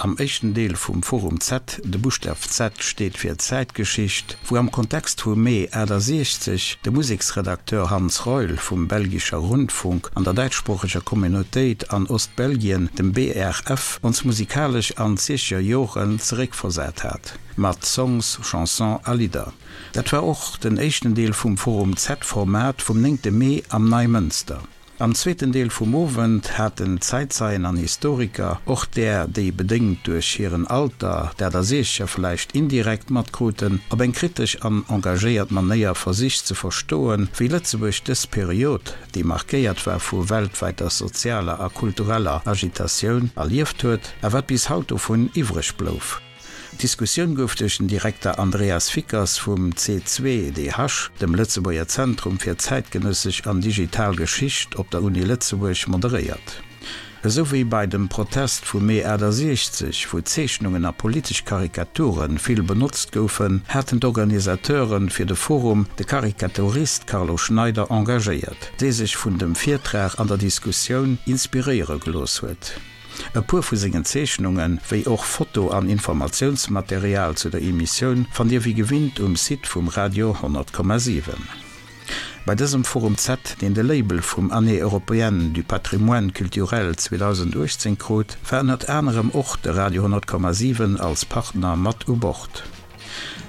am éischten Deel vum Forum Z, de Buschtaf Z steet fir Zäitgeschicht, wou am Kontext vu Mee 68 de Museksredakteur Hans Reul vum Belgischer Rundfunk an der däitschsproocheger Communautéit an Ostbelgien, dem BRF, ons musikalesch an d'siechzeger Joren zeréckversat hat, mat Songs, Chansons a Lidder. Dat war och den éischten Deel vum Forum Z-Format vum néngte Mee am Neimënster. Am zweeten Deel vum Owend haten Zäitzeien an Historiker, och där, déi bedéngt duerch hiren Alter dat a Siechzeger vläicht indirekt matkruten, op eng kritesch an engagéiert Manéier versicht ze verstoen, wéi Lëtzebuerg dës Period, déi markéiert war vu weltwäiter sozialer a kultureller Agitatioun, erlieft huet a wat bis haut dovun iwwreg blouf. D'Diskussioun gouf duerch den Direkter Andreas Fickers vum C2DH, dem Lëtzebuerger Zentrum fir zäitgenëssesch an digital Geschicht op der Uni Lëtzebuerg, moderéiert. Esou wéi bei dem Protest vum Mee 68, wou Zeechnungen a politesch Karikature vill benotzt goufen, haten d'Organisateure fir de Forum de Karikaturist Carlo Schneider engagéiert, dee sech vun dem Virtrag an der Diskussioun inspiréiere gelooss huet. E puer vu sengen Zeechnungen, wéi och Foto an Informatiounsmaterial zu der Emissioun fannt Dir wéi gewinnt um Site vum Radio 100,7. Bei dësem Forum Z, deen de Label vum Année européenne du patrimoine culturel 2018 krut, war ënnert anerem och de Radio 100,7 als Partner mat u Bord.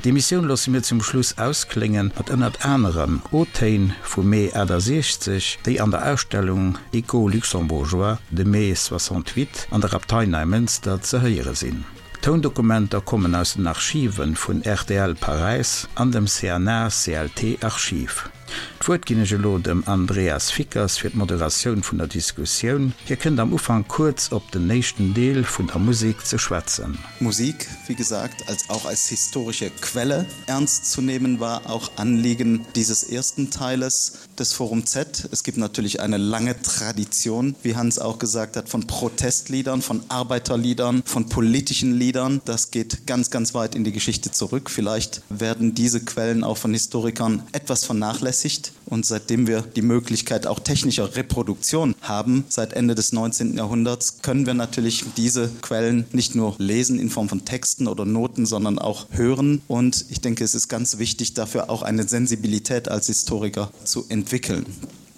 D'Emissioun loosse mir zum Schluss auskléngen mat ënnert anerem O-Téin vum Mee 68, déi an der Ausstellung Écho luxembourgeois de mai 68 an der Abtei Neimënster ze héiere sinn. D'Toundokumenter kommen aus den Archive vun rtl Paräis an dem CNA-CLT Archiv. D'Wuert ginn ech elo dem Andreas Fickers fir d'Moderatioun vun der Diskussioun. Hie kënnt am Ufank kuerz op den éischten Deel vun der Musek ze schwätzen. Musik, wie gesagt, als auch als historische Quelle ernst zu nehmen, war auch Anliegen dieses ersten Teiles des Forum Z. Es gibt natürlich eine lange Tradition, wie Hans auch gesagt hat, von Protestliedern, von Arbeiterliedern, von politischen Liedern. Das geht ganz, ganz weit in die Geschichte zurück. Vielleicht werden diese Quellen auch von Historikern etwas vernachlässigt. Und seitdem wir die Möglichkeit auch technischer Reproduktion haben, seit Ende des 19. Jahrhunderts, können wir natürlich diese Quellen nicht nur lesen in Form von Texten oder Noten, sondern auch hören. Und ich denke, es ist ganz wichtig, dafür auch eine Sensibilität als Historiker zu entwickeln.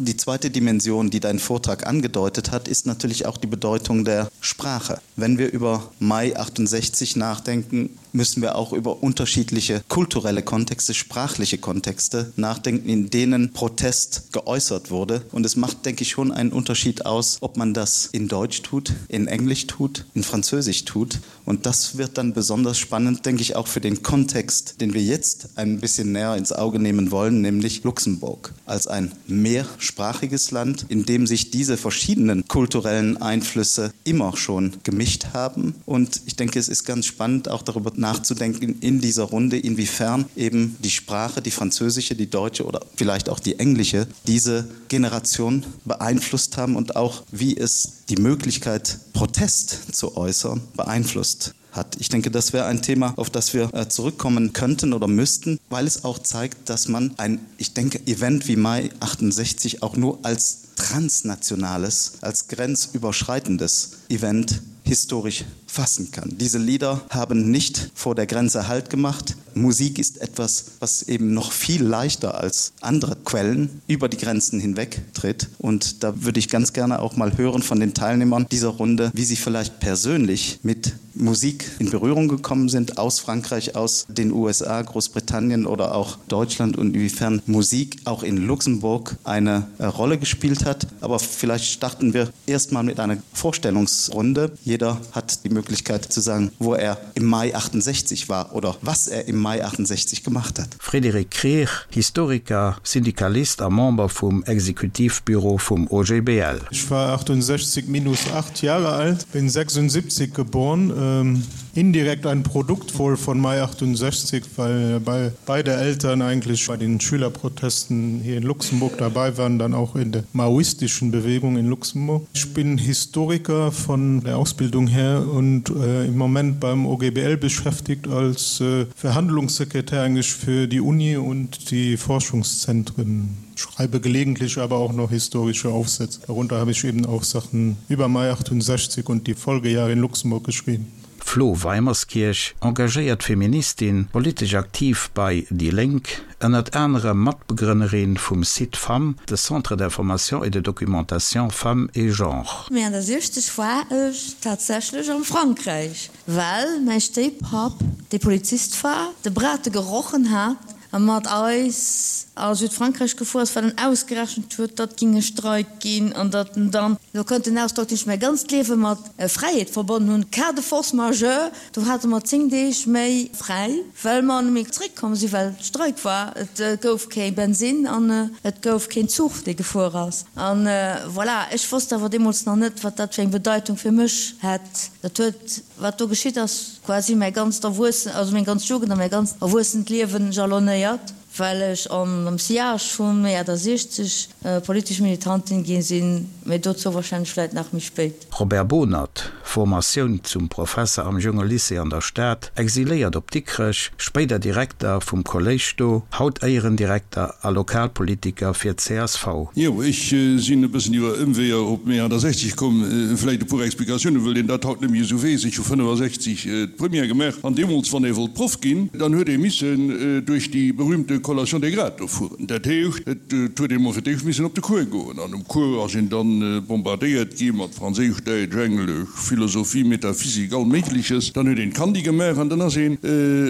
Die zweite Dimension, die dein Vortrag angedeutet hat, ist natürlich auch die Bedeutung der Sprache. Wenn wir über Mai 68 nachdenken, müssen wir auch über unterschiedliche kulturelle Kontexte, sprachliche Kontexte nachdenken, in denen Protest geäußert wurde. Und es macht, denke ich, schon einen Unterschied aus, ob man das in Deutsch tut, in Englisch tut, in Französisch tut. Und das wird dann besonders spannend, denke ich, auch für den Kontext, den wir jetzt ein bisschen näher ins Auge nehmen wollen, nämlich Luxemburg als ein mehrsprachiges Land, in dem sich diese verschiedenen kulturellen Einflüsse immer schon gemischt haben. Und ich denke, es ist ganz spannend, auch darüber nachzudenken in dieser Runde, inwiefern eben die Sprache, die französische, die deutsche oder vielleicht auch die englische, diese Generation beeinflusst haben und auch wie es die Möglichkeit, Protest zu äußern, beeinflusst hat. Ich denke, das wäre ein Thema, auf das wir äh, zurückkommen könnten oder müssten, weil es auch zeigt, dass man ein, ich denke, Event wie Mai 68 auch nur als transnationales, als grenzüberschreitendes Event historisch fassen kann. Diese Lieder haben nicht vor der Grenze Halt gemacht. Musik ist etwas, was eben noch viel leichter als andere Quellen über die Grenzen hinweg tritt. Und da würde ich ganz gerne auch mal hören von den Teilnehmern dieser Runde, wie sie vielleicht persönlich mit Musik in Berührung gekommen sind aus Frankreich, aus den USA, Großbritannien oder auch Deutschland und inwiefern Musik auch in Luxemburg eine äh, Rolle gespielt hat. Aber vielleicht starten wir erstmal mit einer Vorstellungsrunde. Jeder hat die Möglichkeit zu sagen, wo er im Mai 68 war oder was er im Mai 68 gemacht hat. Frédéric Krier, Historiker, Syndikalist a Member vum Exekutivbüro vum OGBL. Ich war 68 minus 8 Jahre alt, bin 76 geboren, ähm, indirekt ein Produkt wohl von Mai 68, weil bei beide Eltern eigentlich bei den Schülerprotesten hier in Luxemburg dabei waren, dann auch in der maoistischen Bewegung in Luxemburg. Ich bin Historiker von der Ausbildung her und äh, im Moment beim OGBL beschäftigt als äh, Verhandlungssekretär eigentlich für die Uni und die Forschungszentren. Schreibe gelegentlich aber auch noch historische Aufsätze. Darunter habe ich eben auch Sachen über Mai 68 und die Folgejahre in Luxemburg geschrieben. Flo Weimerskirch, engagéiert Feministin, politesch aktiv bei déi Lénk, ënnert anerem Matbegrënnerin vum Cid-Femmes, de Centre d'information et de documentation Femmes et Genre. Mee an der 60 war ech tatsächlech am Frankräich, well mäi Stéippapp, dee Polizist war, de Brate gerochen hat a mat eis a Südfrankräich gefuer ass, well en ausgerechent huet, datt ging e Streik ginn an datt en dann, elo kënnt den Ausdrock, deen ech mäi ganzt Liewe mat Fräiheet verbonnen hunn, cas de force majeure, do hate mer 10 Deeg méi fräi, well mer net méi zréckkomm sinn, well Streik war, et gouf kee Bensinn an et gouf keen Zuch, dee gefuer ass. An voilà, ech wosst awer deemools nach net, wat dat fir eng Bedeitung fir mech hätt. Dat huet, wat do geschitt ass, quasi mäi ganzt Erwuessen, also meng ganz Jugend a mäi ganzt erwuessent Liewen jalonnéiert, well ech am Sillage vum Mee 68 politesch Militantin gi sinn, mee dozou wahrscheinlech vläit nach méi spéit. Robert Bohnert, Formatioun zum Professer am Junge Lycée an der Stad, exiléiert op Dikrech, spéider Direkter vum Kolléisch do, haut Éierendirekter a Lokalpolitiker fir csv. Jo, ech sinn e bëssen iwwer Ëmweeër op Mee 68 komm. Vläicht e puer Explikatiounen, wëll een dat haut net méi esou weess. Ech hu 65 d'Première gemaach an deemools, wann ee wollt Proff ginn, dann huet ee missen duerch déi berühmte Collation des grades do fueren. Dat heescht, et huet ee mol fir d'éischt missen op de Cours goen an um Cours ass een dann bombardéiert gi mat Franséisch, Däitsch, Englesch, Philosophie, Metaphysik, all Méigleches. Dann huet een d'Kandi gemaach an dann ass een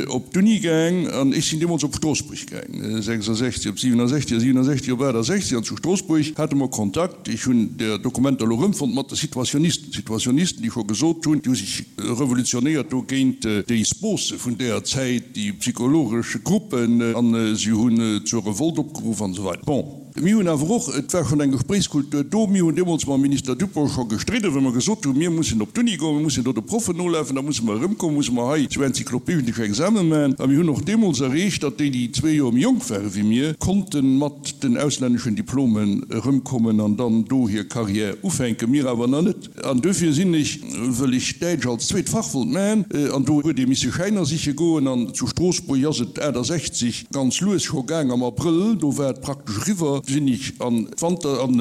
op d'Uni gaang an ech sinn deemools op Stroossbuerg gaang, 66 op 67 a 67 op 68 an zu Stroossbuerg hate mer Kontakt, ech hunn där Dokumenter elo erëmfonnt, mat de Situationisten, Situationisten, déi scho gesot hunn, déi hu sech revolutionéiert do géint déi Spose vun där Zäit, déi psychologesch Gruppen, an si hunn zur Revolt opgeruff an esou weider. Bon. Mir hunn awer och, et war schonn eng Gespréichskultur do, mir hunn deemools mam Minister Dupong scho gestridden, wou mer gesot hunn, mir mussen op d'Uni goen, mir mussen do de Proffen nolafen, da musse mer erëmkommen, musse mer hei sou enzyklopedesch Exame maachen. A mir hunn och deemools erreecht, datt déi, déi zwee Joer méi jonk ware wéi mir, konnte mat den auslänneschen Diplomen erëmkommen an dann do hir Carrière ufänken, mir awer nach net. An duerfir sinn ech, wëll ech Däitsch als zweet Fach wollt maachen, an do huet ee misse Schäiner siche goen, an zu Stroossbuerg ass et 68 ganz lues scho gaang, am Abrëll, do war et praktesch eriwwer, sinn ech an d'Wanter-, an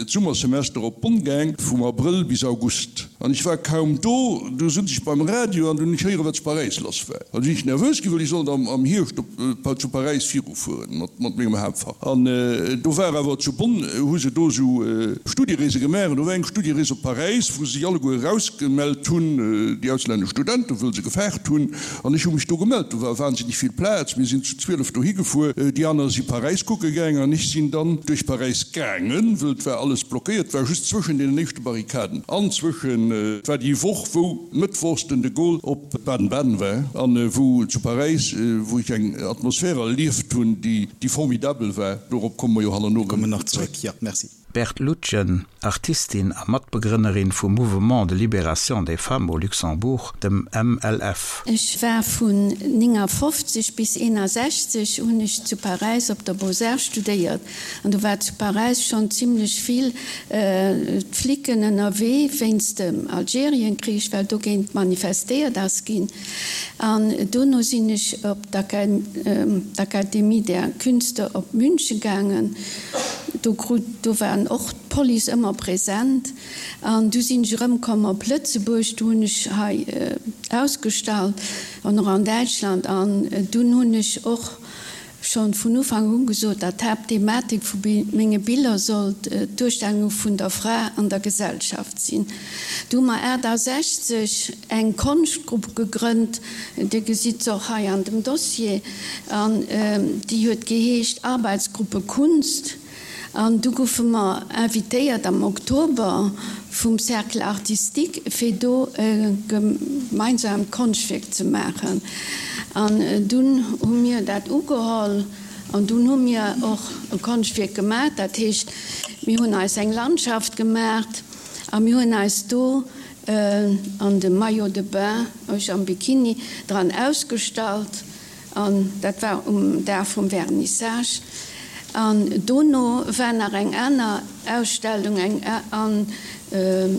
d'Summersemester op Bonn gaang, vum Abrëll bis August. An ech war kaum do, du sutz ech beim Radio an dunn hunn ech héieren, wat zu Paräis lass war. An du sinn ech nervös ginn, well ech sollt am Hierscht op, zu Paräis virufueren mat, mat mengem Haaptfach. An do war awer zu Bonn, hu se do esou Studiereese gemaach, an do war eng Studierees op Paräis, wou se sech alleguer erausgemellt hunn, déi auslännesch Studenten, wëll se gefaart hunn. An ech hu mech do gemellt. Do war wahnsinnig vill Plaz. Mir sinn zu 12 dohi gefuer. Déi aner si Paräis kucke gaang an ech sinn dann duerch Paräis gaangen, wëll et war alles blockéiert, et war just zwëschen deenen éischte Barrikaden an zwëschen, et war déi Woch, wou mëttwochs den de Gaulle op Baden-Baden war an wou zu Paräis, wou ech eng Atmosphär erlieft hunn, déi, déi formidabel war. Dorop komme mer jo hannerno erëm zréck. Jo, merci. Berthe Lutgen, Artistin a Matbegrënnerin vum Mouvement de Libération des Femmes au Luxembourg, dem MLF. Ech war vun 59 bis 61 hunn ech zu Paräis op der Beaux-Arts studéiert an do war zu Paräis schonn zimlech vill d'Flicken ënnerwee wéinst dem Algerienkrich, well dogéint manifestéiert ass ginn. An dono sinn ech op d'Akademie der Künste op München gaangen. Do krut, do waren och d'Police ëmmer present. An du sinn ech erëmkomm op Lëtzebuerg, do hunn ech hei ausgestallt an och an Däitschland. An dunn hunn ech och schonn vun Ufank un gesot, datt d'Haaptthematik vu menge Biller sollt d'Duerstellung vun der Fra an der Gesellschaft sinn. Du hu mer 68 eng Konschtgrupp gegrënnt, Dir gesitt se och hei an dem Dossier, an déi huet geheescht Arbeitsgruppe Kunst. An du goufe mer invitéiert am Oktober vum Cercle artistique, fir do e gemeinsaamt Konschtwierk ze maachen. An dunn hu mir dat ugeholl an dunn hu mir och e Konschtwierk gemaach. Dat heescht, mir hunn eis eng Landschaft gemaacht a mir hunn eis do an dem Maillot de bain, ech am Bikini, dran ausgestallt. An dat war um Dag vum Vernissage. An dono war nach eng aner Ausstellung, eng an.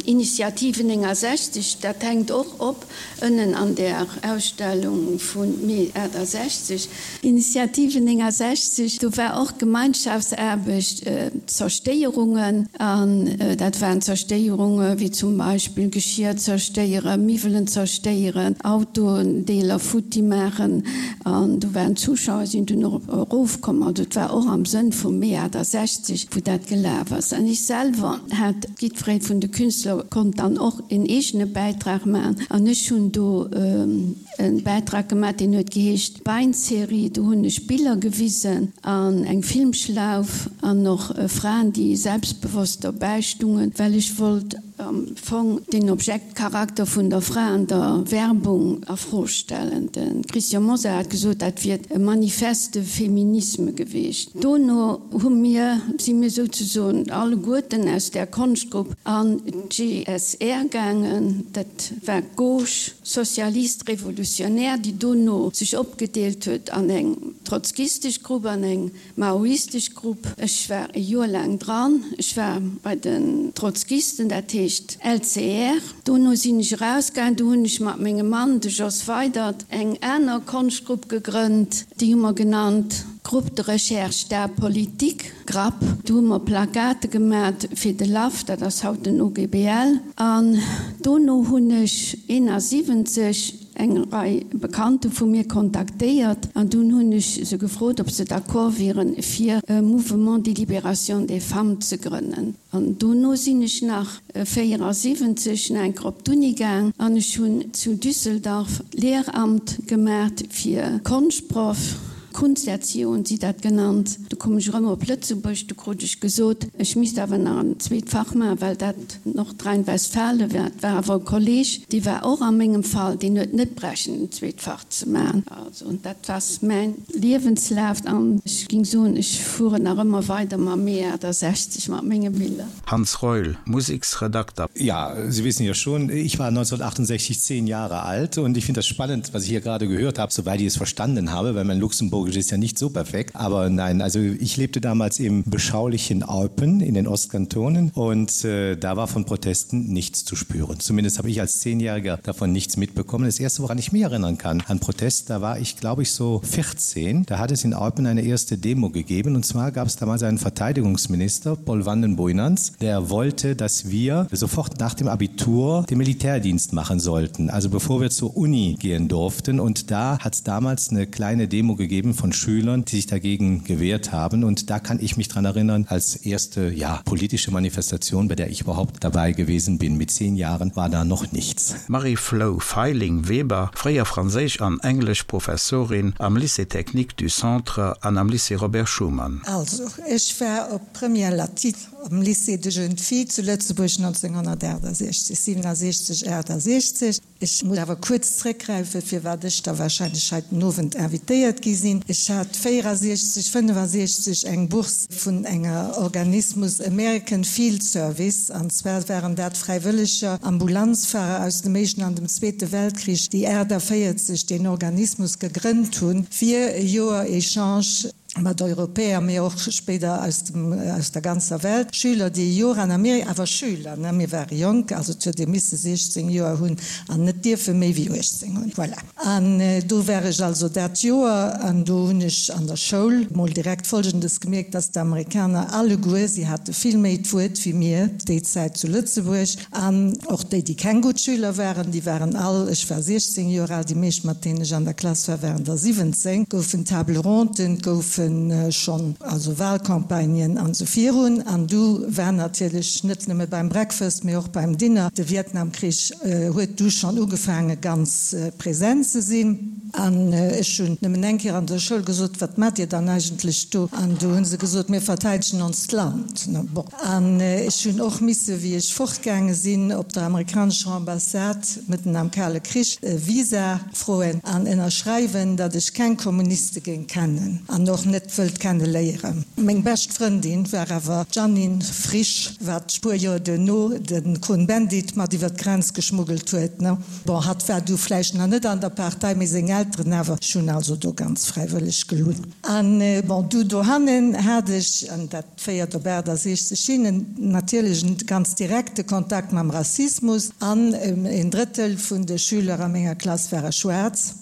Initiative 69, dat hänkt och op ënnen an där Ausstellung vu Mee 68. Initiative 69, do war och Gemeinschaftsaarbecht, Zerstéierungen, an dat waren Zerstéierunge wéi zum Beispill Geschir zerstéieren, Miwwelen zerstéieren, Autoendeeler futti maachen, an do waren d'Zuschauer sinn dunn och erofkomm. Also et war och am Sënn vum Mee 68, wou dat gelaf ass. An ech selwer hat, jiddweree vun de Künstler konnt dann och een eegene Bäitrag maachen, an ech hunn do e Bäitrag gemaach, deen huet geheescht Bein-Serie. Do hunn ech Biller gewisen an eng Filmschlauf an och Fraen, déi selbstbewosst dobäi stungen, well ech wollt am Fong den Objektcharakter vun der Fra an der Werbung a Fro stellen. De Christian Mosar hat gesot, dat wier e Manifeste de féminisme geweecht. Dono hu mir, si mir souzesoen alleguerten aus där Konschtgrupp an d'GSR gaangen, dat war d'Gauche socialiste révolutionnaire, déi dono sech opgedeelt huet an eng trotzkistesch Grupp an eng maoistesch Grupp. Ech war e Joer laang dran. Ech war bei den Trotzkisten, dat heescht LCR. Dono sinn ech erausgaangen. Do hunn ech mat mengem Mann, de Jos Weydert, eng aner Konschtgrupp gegrënnt. Déi hu mer genannt Groupe de recherche d'art politique. Grapp. Do hu mer Plakate gemat fir de LAF, dat ass haut den OGBL. An dono hunn ech 71 eng Rei Bekannte vu mir kontaktéiert an dunn hunn ech se gefrot, ob se d'accord wieren, fir e Mouvement de libération des femmes ze grënnen. An dono sinn ech nach 74 nach eng Kéier op d'Uni gaang an ech hunn zu Düsseldorf Lehramt gemat fir Konschtproff. Kunsterziehung hunn si dat genannt. Du koum ech erëm op Lëtzebuerg, du krut ech gesot, ech misst awer nach en zweet Fach maachen, well dat Nordrhein-Westfalen war. Et war awer e Kolleg, dee war och a mengem Fall, deen huet net brächen en zweet Fach ze maachen. Also dat ass mäin Liewenslaf an ech ging soen, ech fueren nach ëmmer weider mam Mee 68 mat menge Biller. Hans Reul, Museksredakter. Ja, Sie wissen ja schon, ich war 1968 zehn Jahre alt und ich finde das spannend, was ich hier gerade gehört habe, soweit ich es verstanden habe, weil mein Luxemburgisch ist ja nicht so perfekt. Aber nein, also ich lebte damals im beschaulichen Alpen in den Ostkantonen und äh, da war von Protesten nichts zu spüren. Zumindest habe ich als Zehnjähriger davon nichts mitbekommen. Das erste, woran ich mich erinnern kann an Protest, da war ich glaube ich so 14. Da hat es in Alpen eine erste Demo gegeben und zwar gab es damals einen Verteidigungsminister, Paul Vandenboinans, der wollte, dass wir sofort nach dem Abitur den Militärdienst machen sollten, also bevor wir zur Uni gehen durften. Und da hat es damals eine kleine Demo gegeben von Schülern, die sich dagegen gewehrt haben. Und da kann ich mich daran erinnern, als erste ja, politische Manifestation, bei der ich überhaupt dabei gewesen bin. Mit zehn Jahren war da noch nichts. Marie-Flou Feiling-Weber, fréier Franséisch an Engleschprofessorin am Lycée technique du Centre an am Lycée Robert Schuman. Also, ech war op Première latine am Lycée de jeunes filles zu Lëtzebuerg 1968, 67, 68. Ech muss awer kuerz zréckgräifen, firwat ech da wahrscheinlech hei den Owend invitéiert gi sinn. Ech hat 64, 65 eng Bourse vun enger Organismus American Field Service, an zwar waren dat fräiwëlleger Ambulanzfahrer aus dem Éischten an dem Zweete Weltkrich, déi 48 deen Organismus gegrënnt hunn, fir e Joer Echange mat Europäer, mee och spéider aus dem, aus der ganzer Welt, Schüler, déi e Joer an Amerika, awer Schüler, ne, mir ware jonk, also et huet ee misse 16 Joer hunn an net dierfe méi wéi 18 hunn, voilà. An do war ech also dat Joer an do hunn ech an der Schoul mol direkt Folgendes gemierkt, dass d'Amerikaner alleguer, si hate vill méi d'Wuert wéi mir déi Zäit zu Lëtzebuerg, An och déi, déi keng gutt Schüler waren, déi waren all, ech war 16 Joer al, déi meescht, mat deenen ech an der Klass war, waren der 17, goufen Table ronden, et goufe schonn also Wahlcampagnen an esou virun. An du war natierlech net nëmme beim Breakfast, mee och beim Dinner, de Vietnamkrich huet du schonn ugefaange ganz present ze sinn. An ech hunn nëmmen eng Kéier an der Schoul gesot, Wat maacht Dir dann eigentlech do? An du hu se gesot, Mir verteidegen onst Land. Bon. An ech hunn och misse, wéi ech fortgaange sinn, op der amerikanescher Ambassade, mëtten am Kale Krich, e Visa froen an ënnerschreiwen, datt ech keng Kommuniste géing kennen an och. net wëllt kenne léieren. Meng bescht Frëndin war awer d'Jeannine Frisch, wat puer Joer duerno de Cohn-Bendit mat iwwer d'Grenz geschmuggelt huet. Bon, hatt war du vläicht nach net an der Partei, mee seng Elteren awer. Ech hunn also do ganz fräiwëlleg gelunn. An bon, du dohannen hat ech, an dat féiert op 68 hin, en natierlech en ganz direkte Kontakt mam Rassismus. An en Drëttel vun de Schüler a menger Klass ware schwaarz.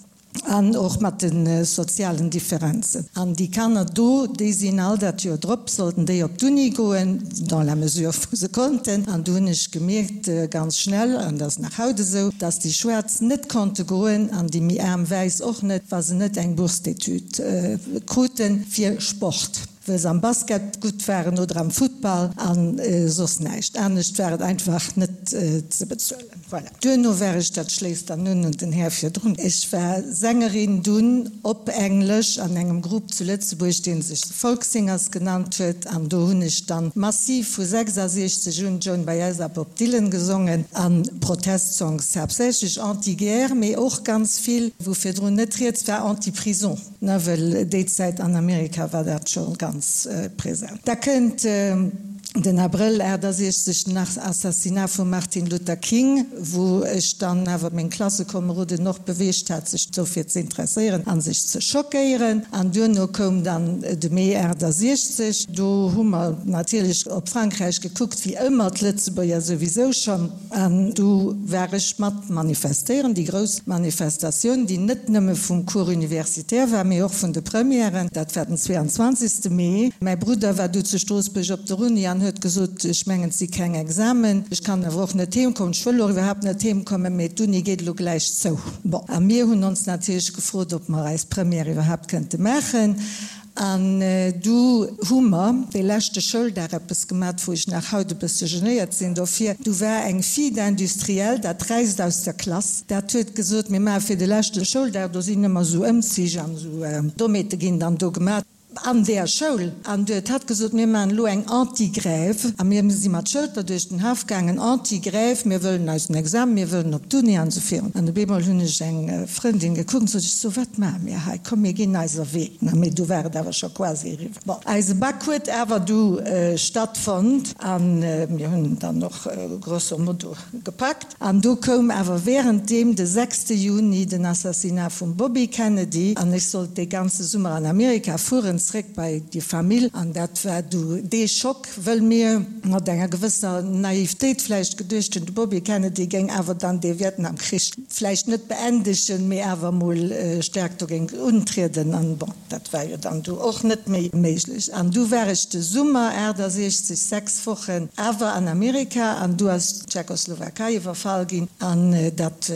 An och mat de sozialen Differenzen. An déi Kanner do, déi sinn all dat Joer drop, sollten déi op d'Uni goen, dans la mesure wou se konnten. An do hunn ech gemierkt, ganz schnell, an dat ass nach haut esou, dass déi Schwaarz net konnte goen an déi méi aarm Wäiss och net, wa se net eng Bourse d'études kruten fir Sport. Well se am Basket gutt waren oder am Futtball a soss näischt anescht war et einfach net ze bezuelen. Voilà. Duerno war ech, dat schléisst dann un un den Här virdrun, ech war Sängerin dunn op Englesch an engem Grupp zu Lëtzebuerg, dee sech The Folk Singers genannt huet an do hunn ech dann massiv vu 66 un Joan Baez a Bob Dylan gesongen a Protestsongs, haaptsächlech anti-guerre, mee och ganz vill, wou virdrun net rieds war, anti-prison. Na, well déi Zäit an Amerika war dat scho ganz present. Da kënnt den Abrëll 68, den Assassinat vum Martin Luther King, wou ech dann awer meng Klassekomeroden och beweegt hat, sech dofir ze interesséieren a sech ze schockéieren. An duerno koum dann de Mee 68. Do hu mer natierlech op Frankräich gekuckt, wéi ëmmer, d'Lëtzebuerger souwisou schonn. An du war ech mat manifestéieren, déi grouss Manifestatioun, déi net nëmme vum Cours universitaire war, mee och vun de Premièren. Dat war den 22. Mee. Mäi Brudder war du zu Stroossbuerg op der Uni an huet gesot, ech mengen, et si keng Examen, ech kann awer och net heem kommen, ech wëll och iwwerhaapt net heem kommen, mee d'Uni geet elo gläich zou. Bon, a mir hunn ons natierlech gefrot, ob mer eis Première iwwerhaapt kënnte maachen. An du hu mer dee leschte Schouldag eppes gemat, wou ech nach haut e bësse genéiert sinn dofir. Du war eng Fille d'industriel, dat räisst aus der Klass, dat huet gesot, mir maache fir de leschte Schouldag, do sinn ëmmer esou Ëmzich an esou Dommheete ginn dann do gemat an där Schoul. An du huet hatt gesot, mir maachen elo eng Anti-Grève. A mir si mat Schëlter duerch den Haff gaangen, Anti-Grève, mir wëllen eisen Examen, mir wëllen op d'Uni an esou virun. An op eemol hunn ech eng Frëndin gekuckt an sot ech, So, wat maache mir hei? Komm, mir ginn eiser Wee. Na, mee du war et awer scho quasi eriwwer. Bon, eise Bac huet awer du stattfonnt a mir hunn en dann och grosso modo gepackt. An du koum awer währenddeem de sechste Juni den Assassinat vum Bobby Kennedy an ech sollt dee ganze Summer an Amerika fueren, zréck bei déi Famill. An dat war du dee Schock, wëll mir mat enger gewësser Naivetéit vläicht geduecht hunn, de Bobby Kennedy géing awer dann dee Vietnamkrich vläicht net beendegen, mee awer emol staark dogéint untrieden. An bon, dat war jo dann du och net méi méiglech. An du war ech de Summer 68 sechs Wochen awer an Amerika an du ass d'Tschechoslowakei iwwerfall ginn. An dat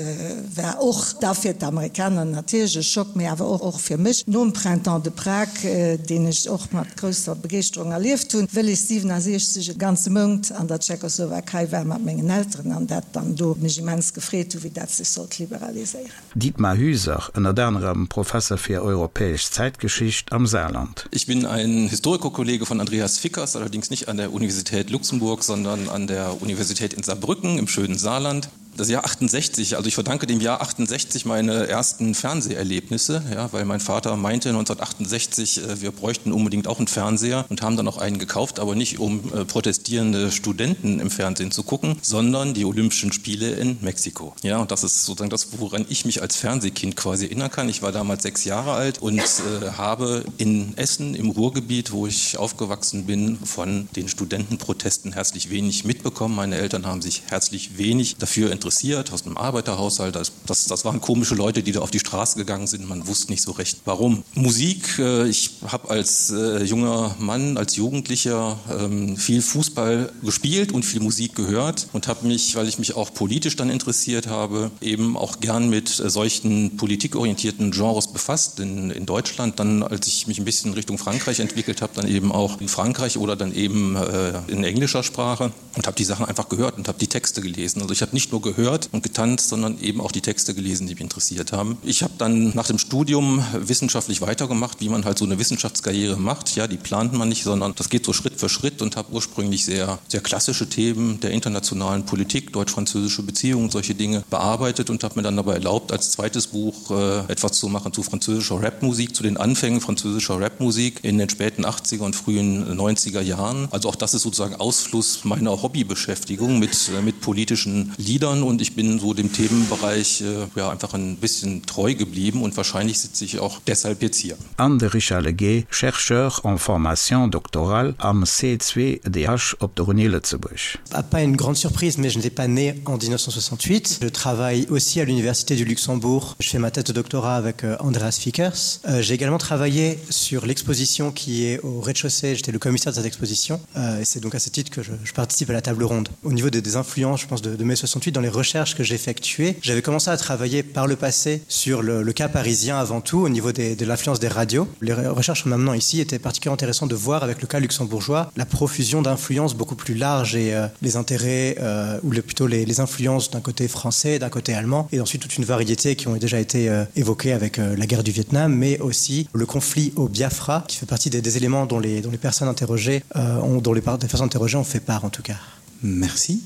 war och da fir d'Amerikaner natierlech e Schock, mee awer och fir mech nom Printemps de Prague, deen ech och mat grousser Begeeschterung erlieft hunn, wëll ech 67 e ganze Mount an der Tschechoslowakei war mat mengen Elteren an dat dann do mech immens gefreet hu wéi dat sech sollt liberaliséieren. Dietmar Hüser, ënnert anerem Professer fir europäesch Zäitgeschicht am Saarland. Ich bin ein Historikerkollege von Andreas Fickers, allerdings nicht an der Universität Luxemburg, sondern an der Universität in Saarbrücken im schönen Saarland. Das Jahr 68, also ich verdanke dem Jahr 68 meine ersten Fernseherlebnisse, ja, weil mein Vater meinte 1968, äh, wir bräuchten unbedingt auch einen Fernseher und haben dann auch einen gekauft, aber nicht um äh, protestierende Studenten im Fernsehen zu gucken, sondern die Olympischen Spiele in Mexiko. Ja, und das ist sozusagen das, woran ich mich als Fernsehkind quasi erinnern kann. Ich war damals sechs Jahre alt und äh, habe in Essen im Ruhrgebiet, wo ich aufgewachsen bin, von den Studentenprotesten herzlich wenig mitbekommen. Meine Eltern haben sich herzlich wenig dafür interessiert aus einem Arbeiterhaushalt. Das, das, das waren komische Leute, die da auf die Straße gegangen sind. Man wusste nicht so recht warum. Musik äh, ich habe als äh, junger Mann, als Jugendlicher ähm, viel Fußball gespielt und viel Musik gehört und habe mich, weil ich mich auch politisch dann interessiert habe, eben auch gern mit äh, solchen politikorientierten Genres befasst in, in Deutschland, dann als ich mich ein bisschen Richtung Frankreich entwickelt habe, dann eben auch in Frankreich oder dann eben äh, in englischer Sprache und habe die Sachen einfach gehört und habe die Texte gelesen. Also ich habe nicht nur gehört, gehört und getanzt, sondern eben auch die Texte gelesen, die mich interessiert haben. Ich habe dann nach dem Studium wissenschaftlich weitergemacht, wie man halt so eine Wissenschaftskarriere macht. Ja, die plant man nicht, sondern das geht so Schritt für Schritt und habe ursprünglich sehr, sehr klassische Themen der internationalen Politik, deutsch-französische Beziehungen, solche Dinge bearbeitet und habe mir dann dabei erlaubt, als zweites Buch äh, etwas zu machen zu französischer Rapmusik, zu den Anfängen französischer Rapmusik in den späten 80er und frühen 90er Jahren. Also auch das ist sozusagen Ausfluss meiner Hobbybeschäftigung mit, äh, mit politischen Liedern und ich bin so dem Themenbereich äh, ja, einfach ein bisschen treu geblieben und wahrscheinlich sitze ich auch deshalb jetzt hier. An de Richard Leguet, Chercheur en formation doctorale am C2DH op der Uni Lëtzebuerg. Pas une grande surprise, mais je n'étais pas né en 1968. Je travaille aussi à l'Université du Luxembourg. Je fais ma thèse de doctorat avec euh, Andreas Fickers. Euh, j'ai également travaillé sur l'exposition qui est au rez-de-chaussée. J'étais le commissaire de cette exposition. Euh, et c'est donc à ce titre que je, je participe à la table ronde. Au niveau des, des influences, je pense, de, de mai 68, dans les recherches que j'effectuais, j'avais commencé à travailler par le passé sur le, le cas parisien avant tout, au niveau des, de l'influence des radios. Les recherches maintenant ici étaient particulièrement intéressantes de voir avec le cas luxembourgeois la profusion d'influences beaucoup plus large et euh, les intérêts euh, ou le, plutôt les, les influences d'un côté français, d'un côté allemand et ensuite toute une variété qui ont déjà été euh, évoquées avec euh, la guerre du Vietnam, mais aussi le conflit au Biafra qui fait partie des, des éléments dont les, dont les personnes interrogées euh, ont, dont les, les personnes interrogées ont fait part en tout cas. Merci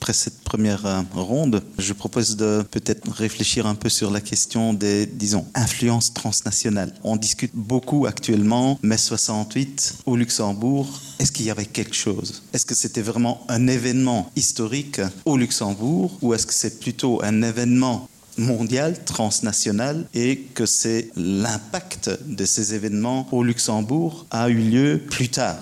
après cette première euh, ronde, je propose de peut-être réfléchir un peu sur la question des disons influences transnationales. On discute beaucoup actuellement mai 68 au Luxembourg. Est-ce qu'il y avait quelque chose? Est-ce que c'était vraiment un événement historique au Luxembourg ou est-ce que c'est plutôt un événement mondial transnational et que c'est l'impact de ces événements au Luxembourg a eu lieu plus tard?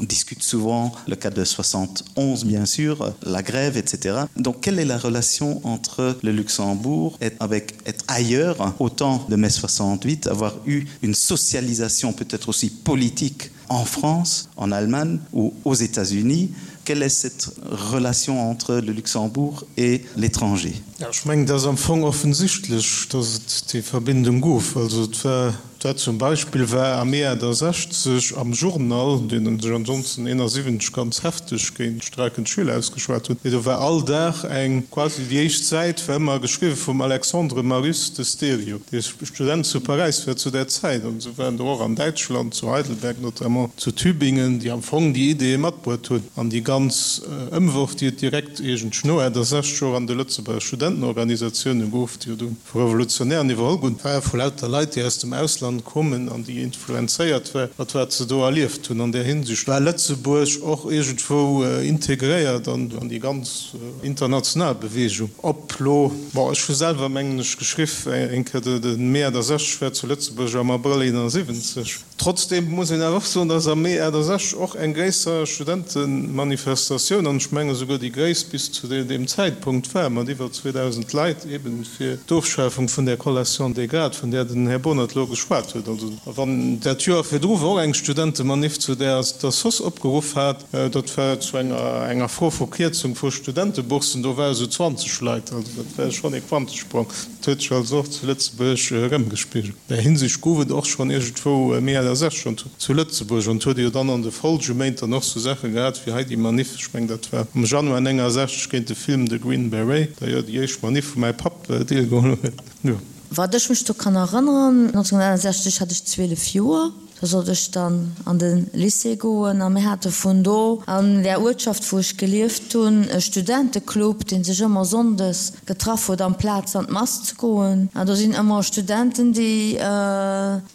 On discute souvent le cas de 71 bien sûr, la grève, etc. Donc quelle est la relation entre le Luxembourg et avec être ailleurs autant de mai 68, avoir eu une socialisation peut-être aussi politique en France, en Allemagne ou aux États-Unis? Quelle est cette relation entre le Luxembourg et l'étranger? Ja, ech mengen, et ass am Fong offensichtlech, datt et déi Verbindung gouf. Also et war Dat zum Beispill war am Mee 68 am Journal, deen sech ansonsten 71 ganz hefteg géint d'streikend Schüler ausgeschwat huet, mee do war all Dag eng, quasi déi éischt Säit war ëmmer geschriwwe vum Alexandre Marius de Stereo, dee Student zu Paräis war zu där Zäit. An esou waren der och an Däitschland, zu Heidelberg notamment, zu Tübingen, déi am Fong déi Ideeë matbruet hunn. An déi ganz Ëmworf, déi et direkt iergendsch no 68 och an de Lëtzebuerger Studentenorganisatioune gouf, déi jo du vu Revolutionären iwwerholl gun, war vu lauter Leit, déi aus dem Ausland kommen an déi influenzéiert war mat wat se do erlieft hunn. An där Hinsicht war Lëtzebuerg och iergendwou integréiert an déi ganz international Bewegung. Ob lo, bon, ech hu selwer, mengen ech, geschriff eng Kéier, de Mee 68 war zu Lëtzebuerg am Abrëll 71. Trotzdeem muss een awer och soen, dass am Mee 68 och eng gréisser Studentemanifestatioun, an ech menge souguer déi gréisst bis zu deem Zäitpunkt war, mat iwwer 2.000 Leit, eben fir d'Ofschafung vun där Collation des grades, vun där den Här Bohnert elo geschwat huet. Also wann dat Joer virdru war och eng Studentemanif, zu där d'Assoss opgeruff hat, dat war zu enger enger Fro vu Kierzung vu Studenteboursen, do ware sou 20 Leit. Also dat war schonn ee Quantesprong. Dat huet sech also och zu Lëtzebuerg erëmgespigelt. An där Hinsicht gouf et och schonn iergendwou méi 68 schonn zu Lëtzebuerg. An et huet ee jo dann an de Folgeméint dann och sou Saache gehat wéi hei déi Manif, ech mengen dat war am Januar 69 géint de Film The Green Beret, d'ailleurs déi éischt Manif wou mäi Papp deelgeholl huet. Jo. Wat ech mech do kann erënneren, 1961 hat ech 12 Joer, Do sollt ech dann an de Lycée goen a mir hate vun do an där Uertschaft, wou ech gelieft hunn, e Studenteclub, dee sech ëmmer sonndes getraff huet, amplaz an d'Mass ze goen. An do sinn ëmmer Studenten, déi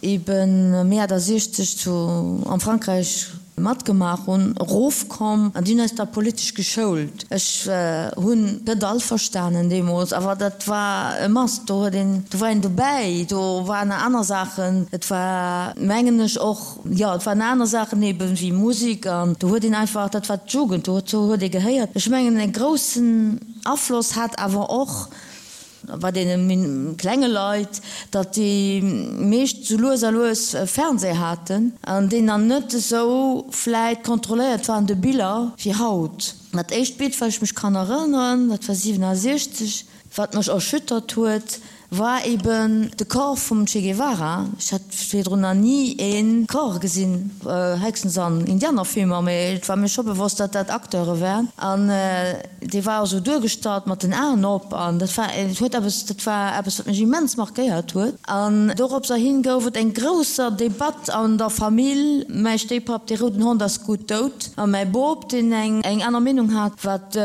eben méi 68 zu am Frankräich matgemaach hunn, erofkomm an déi hunn eis da politesch geschoult. Ech hunn net all verstanen deemools, awer dat war e Must, do huet een, do war een dobäi, do waren aner Saachen, et war mengen ech och, jo et waren aner Saachen eben wéi Musik an do huet een einfach, dat war d'Jugend, do huet ee gehéiert. Ech mengen e groussen Afloss hat awer och bei deene klenge Leit, datt déi meescht sou lues a lues Fernseh haten an deen dann net esou vläit kontrolléiert war an de Biller wéi haut. Dat éischt Bild, wat ech mech kann erënneren, dat war 67, wat mech erschüttert huet. War eben de Corps vum Che Guevara. Ech hat virdrun nach ni ee Corps gesinn, héchstens an Indianerfilmer, mee et war mir scho bewosst, datt dat Acteure waren. An dee war esou duergestallt mat den Aen op an dat war, et huet eppes, dat war eppes, wat mech immens markéiert huet. An doropserhin gouf et eng grousser Debatt an der Famill, Mäi Stéipapp, dee rouden Hond ass gutt dout, a mäi Bop, deen eng aner Meenung hat, wat.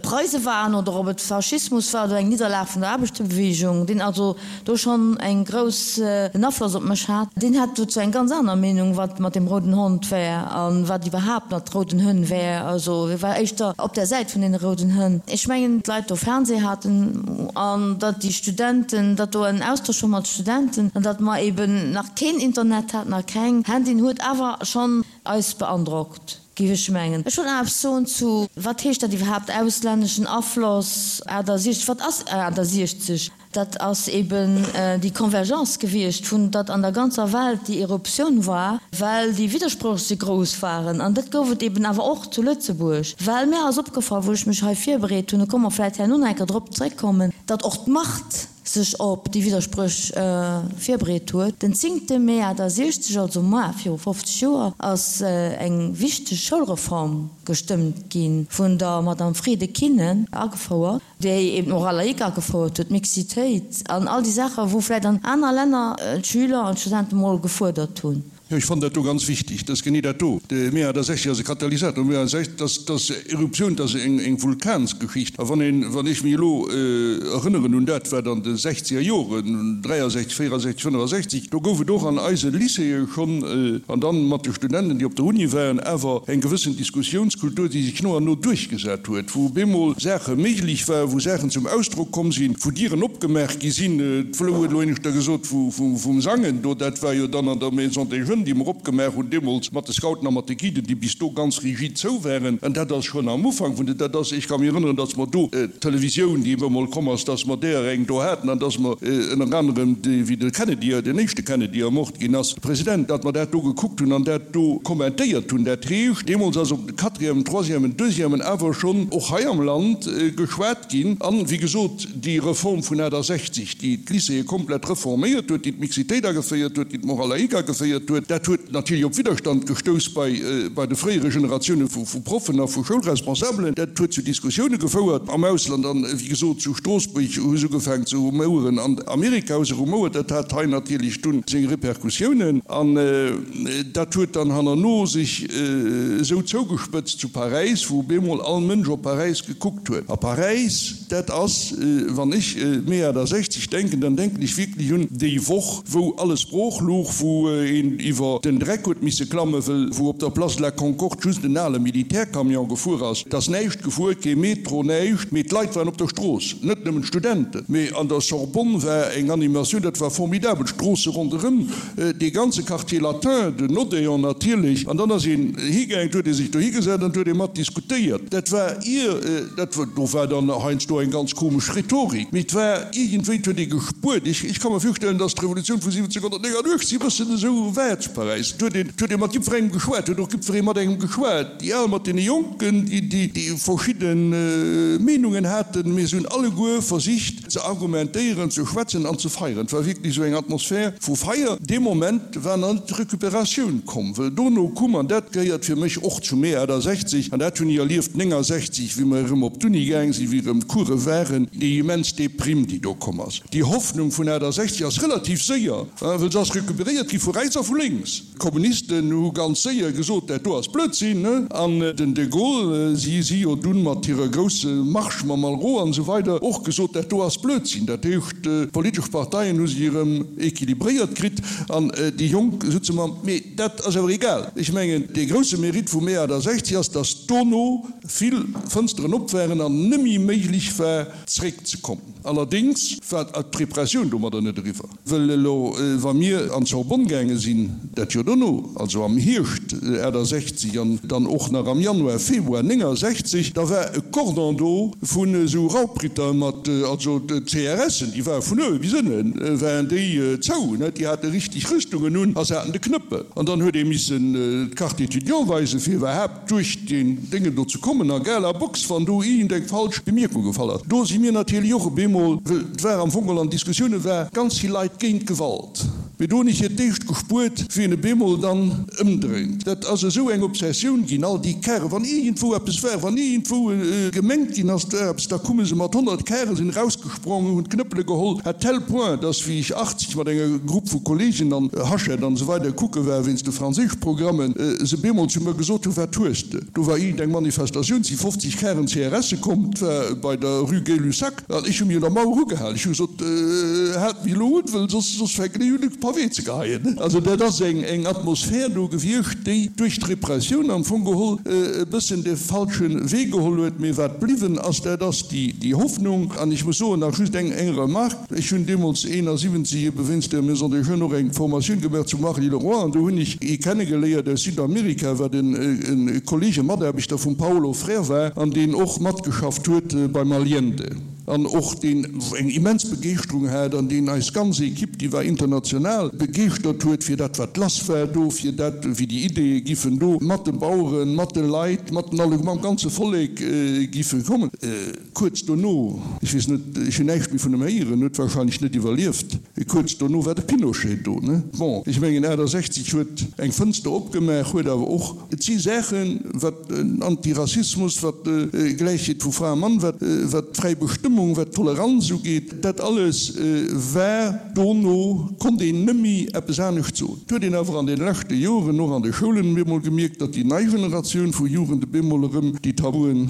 Preise waren oder ob et Faschismus war oder eng Nidderlag vun der Aarbechterbewegung, deen also do schonn eng grouss en Afloss op mech hat, deen hat dozou eng ganz aner Meenung, wat mat dem rouden Hond wär a wat iwwerhaapt mat rouden Hënn wär. Also hie war éischter op der Säit vun deene rouden Hënn. Ech mengen, d'Leit do Fernseh haten an datt déi Studenten, datt do en Austausch war mat Studenten an datt mer eben nach keen Internet haten a keng Handyen, huet awer schonn eis beandrockt, géif ech mengen. Ech wollt nach eppes soen zu, wat heescht dat iwwerhaapt, auslänneschen Afloss 68? Wat ass 68? Dat ass eben déi Convergence gewiescht, vun datt an der ganzer Welt déi Eruptioun war, well déi Widdersproch esou grouss waren. An dat gouf et eben awer och zu Lëtzebuerg, well mir ass opgefall, wou ech mech hei virbereet hunn, do komme mer vläicht herno nach eng Kéier drop zréckkommen, datt och d'Macht sech op déi Widderspréch virbereet huet. Den zéngte Mee 68, also moar viru 50 Joer, ass eng wichteg Schoulreform gestëmmt gi vun der Madame Frieden-Kinnen agefouert, déi eben d'Moral laïque agefouert huet, d'Mixitéit an all déi Saachen, wou vläicht an aner Länner d'Schüler an d'Studente mol gefuerdert hunn. Jo, ech fannen dat do ganz wichtig, dass genee dat do, de Mee 68 ass e Katalysator, Mee 68, dass, dass Eruptioun, dass eng, eng Vulkansgeschicht. A wann een, wann ech mech elo erënneren un dat, wat an de sechzeger Joren, 63, 64, 65, do gouf et och an eise Lycéeë schonn, an dann mat de Studenten, déi op der Uni waren, awer eng gewëssen Diskussiounskultur, déi sech no an no duerchgesat huet, wou op eemol Saache méiglech waren, wou Saachen zum Ausdrock komm sinn, wou Dieren opgemaach gi sinn. D'Flou huet elo éineschter gesot vum Sangen do, dat war jo dann an der Maison des Jeunes, déi mer opgemaach hunn deemools mat de Scouten a mat de Guiden, déi bis do ganz rigid zou waren. An dat ass schonn am Ufank vun de, dat ass, ech ka mech erënneren, datt mer do d'Televisioun, déi emol komm ass, datt mer deeër eng do haten an datt mer ënner anerem, wéi de Kennedy, den éischte Kennedy ermort ginn ass, de President, datt mer dat do gekuckt hunn an dat do kommentéiert hunn. Dat heescht, deemools ass op de Quatrièmen, Troisièmen, Deuxièmen awer schonn och hei am Land geschwat ginn. An, wéi gesot, déi Reform vun 68, déi d'Lycéeë komplett reforméiert huet, déi d'Mixitéit ageféiert huet, déi d'Morale laïque ageféiert huet, dat huet natierlech op Widderstand gestouss bei bei de fréiere Generatioune vu Proffen a vu Schoulresponsabelen. Dat huet zu Diskussioune gefouert am Ausland an, wéi gesot, zu Stroossbuerg hu se ugefaangen ze rumoueren, an Amerika hu se rumouert. Dat hat hei natierlech dunn seng Repercussiounen an dat huet dann hannerno sech esou zougespëtzt zu Paräis, wou op eemol all Mënsch op Paräis gekuckt huet. A Paräis, Dat ass, wann ech Mee 68 denken, dann denken ech wierklech un déi Woch, wou alles brooch louch, wou een iwwer den Dreck huet misse klammen, wëll wou op der Place de la Concorde just en ale Militärcamion gefuer ass. Et ass näischt gefuer, kee Metro, näischt, mee d'Leit waren op der Strooss, net nëmmen d'Studenten, mee an der Sorbonne war eng Animatioun, dat war formidabel, d'Stroosse ronderëm, Dee ganze Quartier latin, den Odéon natierlech, an dann ass een higaangen, et huet ee sech dohi gesat an et huet ee mat diskutéiert. Dat war ier, dat war, do war dann heiansdo eng ganz komesch Rhetorik, mee et war iergendwéi, et huet ee gespuert. Ech, ech ka mer virstellen, datt d'Revolutioun vu 1789 e bëssen esou war zu Paräis. Et huet een, et huet ee mat jiddwerengem geschwat, et huet och jiddweree mat engem geschwat, déi Al mat deene Jonken, déi, déi, déi verschidde Meenungen haten, mee se hunn alleguer versicht, Ze argumentéieren, ze schwätzen an ze feieren. Et war wierklech esou eng Atmosphär vu Feier. Dee Moment war nach net d'Recuperatioun komm, wëll dono kumm, an dat gehéiert fir mech och zu Mee 68, an dat hunn ech erlieft 69, wéi mer erëm op d'Uni gaang sinn, wéi erëm d'Course waren, déi immens Deprime, déi do komm ass. Déi Hoffnung vun 68 ass relativ séier, wëll se ass recuperéiert gi vu rechts a vu lénks. D'Kommunisten hu ganz séier gesot, dat do ass Blödsinn. An den de Gaulle, si si jo dunn mat hirer grousse Marche mam Malraux an esou weider och gesot, dat do ass Blödsinn. Dat heescht, d'politesch Parteien hu sech erëm équilibréiert kritt an déi Jonk sutze mam. Mee dat ass awer egal. Ech mengen, dee grousse Mérite vum Mee 68 ass, datt dono vill Fënsteren op waren an nëmme méiglech war zréckzekommen. Allerdéngs war d'Repressioun domadder net eriwwer. Wëll elo, wa mir an d'Sorbonne gaange sinn, dat Joer dono, also am Hierscht 68 an dann och nach am Januar, Februar 69, da war e Cordon do vun esou Raubritter mat, also d'CRSen, déi ware vun uewe bis ënne waren déi zou, ne, déi hate richteg Rüstungen un a se haten de Knëppel. An dann huet ee missen d'Carte étudiant weisen, fir iwwerhaapt duerch deen Déngen do ze kommen a Gala Box, wann do iergend eng falsch Bemierkung gefall ass. Do si mir natierlech och op eemol. bemol, well et war am Fong geholl an Diskussioune war ganz vill Leit géint Gewalt, mee do hunn ech fir d'éischt gespuert, wéi en e bemol dann ëmdréint. Dat ass esou eng Obsessioun ginn, all déi Kären, wann iergendwou eppes war, wann iergendwou gemengt ginn ass, et wär eppes, da kumme se mat 100 Kären, sinn erausgesprongen, hunn d'Knëppele geholl, à tel point, dass wéi ech 80 mat enger Grupp vu Kollegen an Hachette an esou weider kucke war wéinst de Franséischprogrammen, se bemol zu mer gesot hunn, Wat hues de? Do war iergendeng Manifestatioun, si 50 Karen CRSe komm, 't war bei der Rue Gay-Lussac, an ech hu mech un der Mauer ugehalen. Ech hu gesot, Haalt mech elo un, wëll soss, soss fänken ech un, e Pavé ze geheien. Also dat ass eng, eng Atmosphär do gewiescht, déi duerch d'Repressioun am Fong geholl e bëssen de falsche Wee geholl huet. Mee wat bliwwen ass, dat ass déi, déi Hoffnung. An ech muss soen, nach just eng, eng Remarque, Ech hunn deemools 71 ebe wéinst der Maison des Jeunes och eng Formatioun gemaach zu Marly-le-Roi an do hunn ech ee kennegeléiert aus Südamerika, wat e Kollege, Mataarbechter vum Paulo Freire war an deen och matgeschafft huet beim Allende an och deen eng immens Begeeschterung hat an deen eis ganz Equipe, déi war international, begeeschtert huet fir dat wat lass war do, fir dat wéi déi Ideeë giffen do mat de Baueren, mat de Leit, mat den alle, mam ganze Vollek giffe kommen. Kuerz dono, ech weess net, ech hunn näischt méi vun em héieren, huet wahrscheinlech net iwwerlieft, kuerz dono war de Pinochet do, ne? Bon, ech mengen 68 huet eng Fënster opgemaach, huet awer och, et si Saachen, wat Antirassismus, wat Gläichheet vu Fra a Mann, wat wat fräi Bestëmmung, wat Toleranz ugeet, dat alles war dono, konnt een nëmmi eppes anescht soen. Et huet een awer an de leschte Joren och an de Schoulen bemol gemierkt, datt déi nei Generatioun vu Jugend bemol erëm déi Tabuen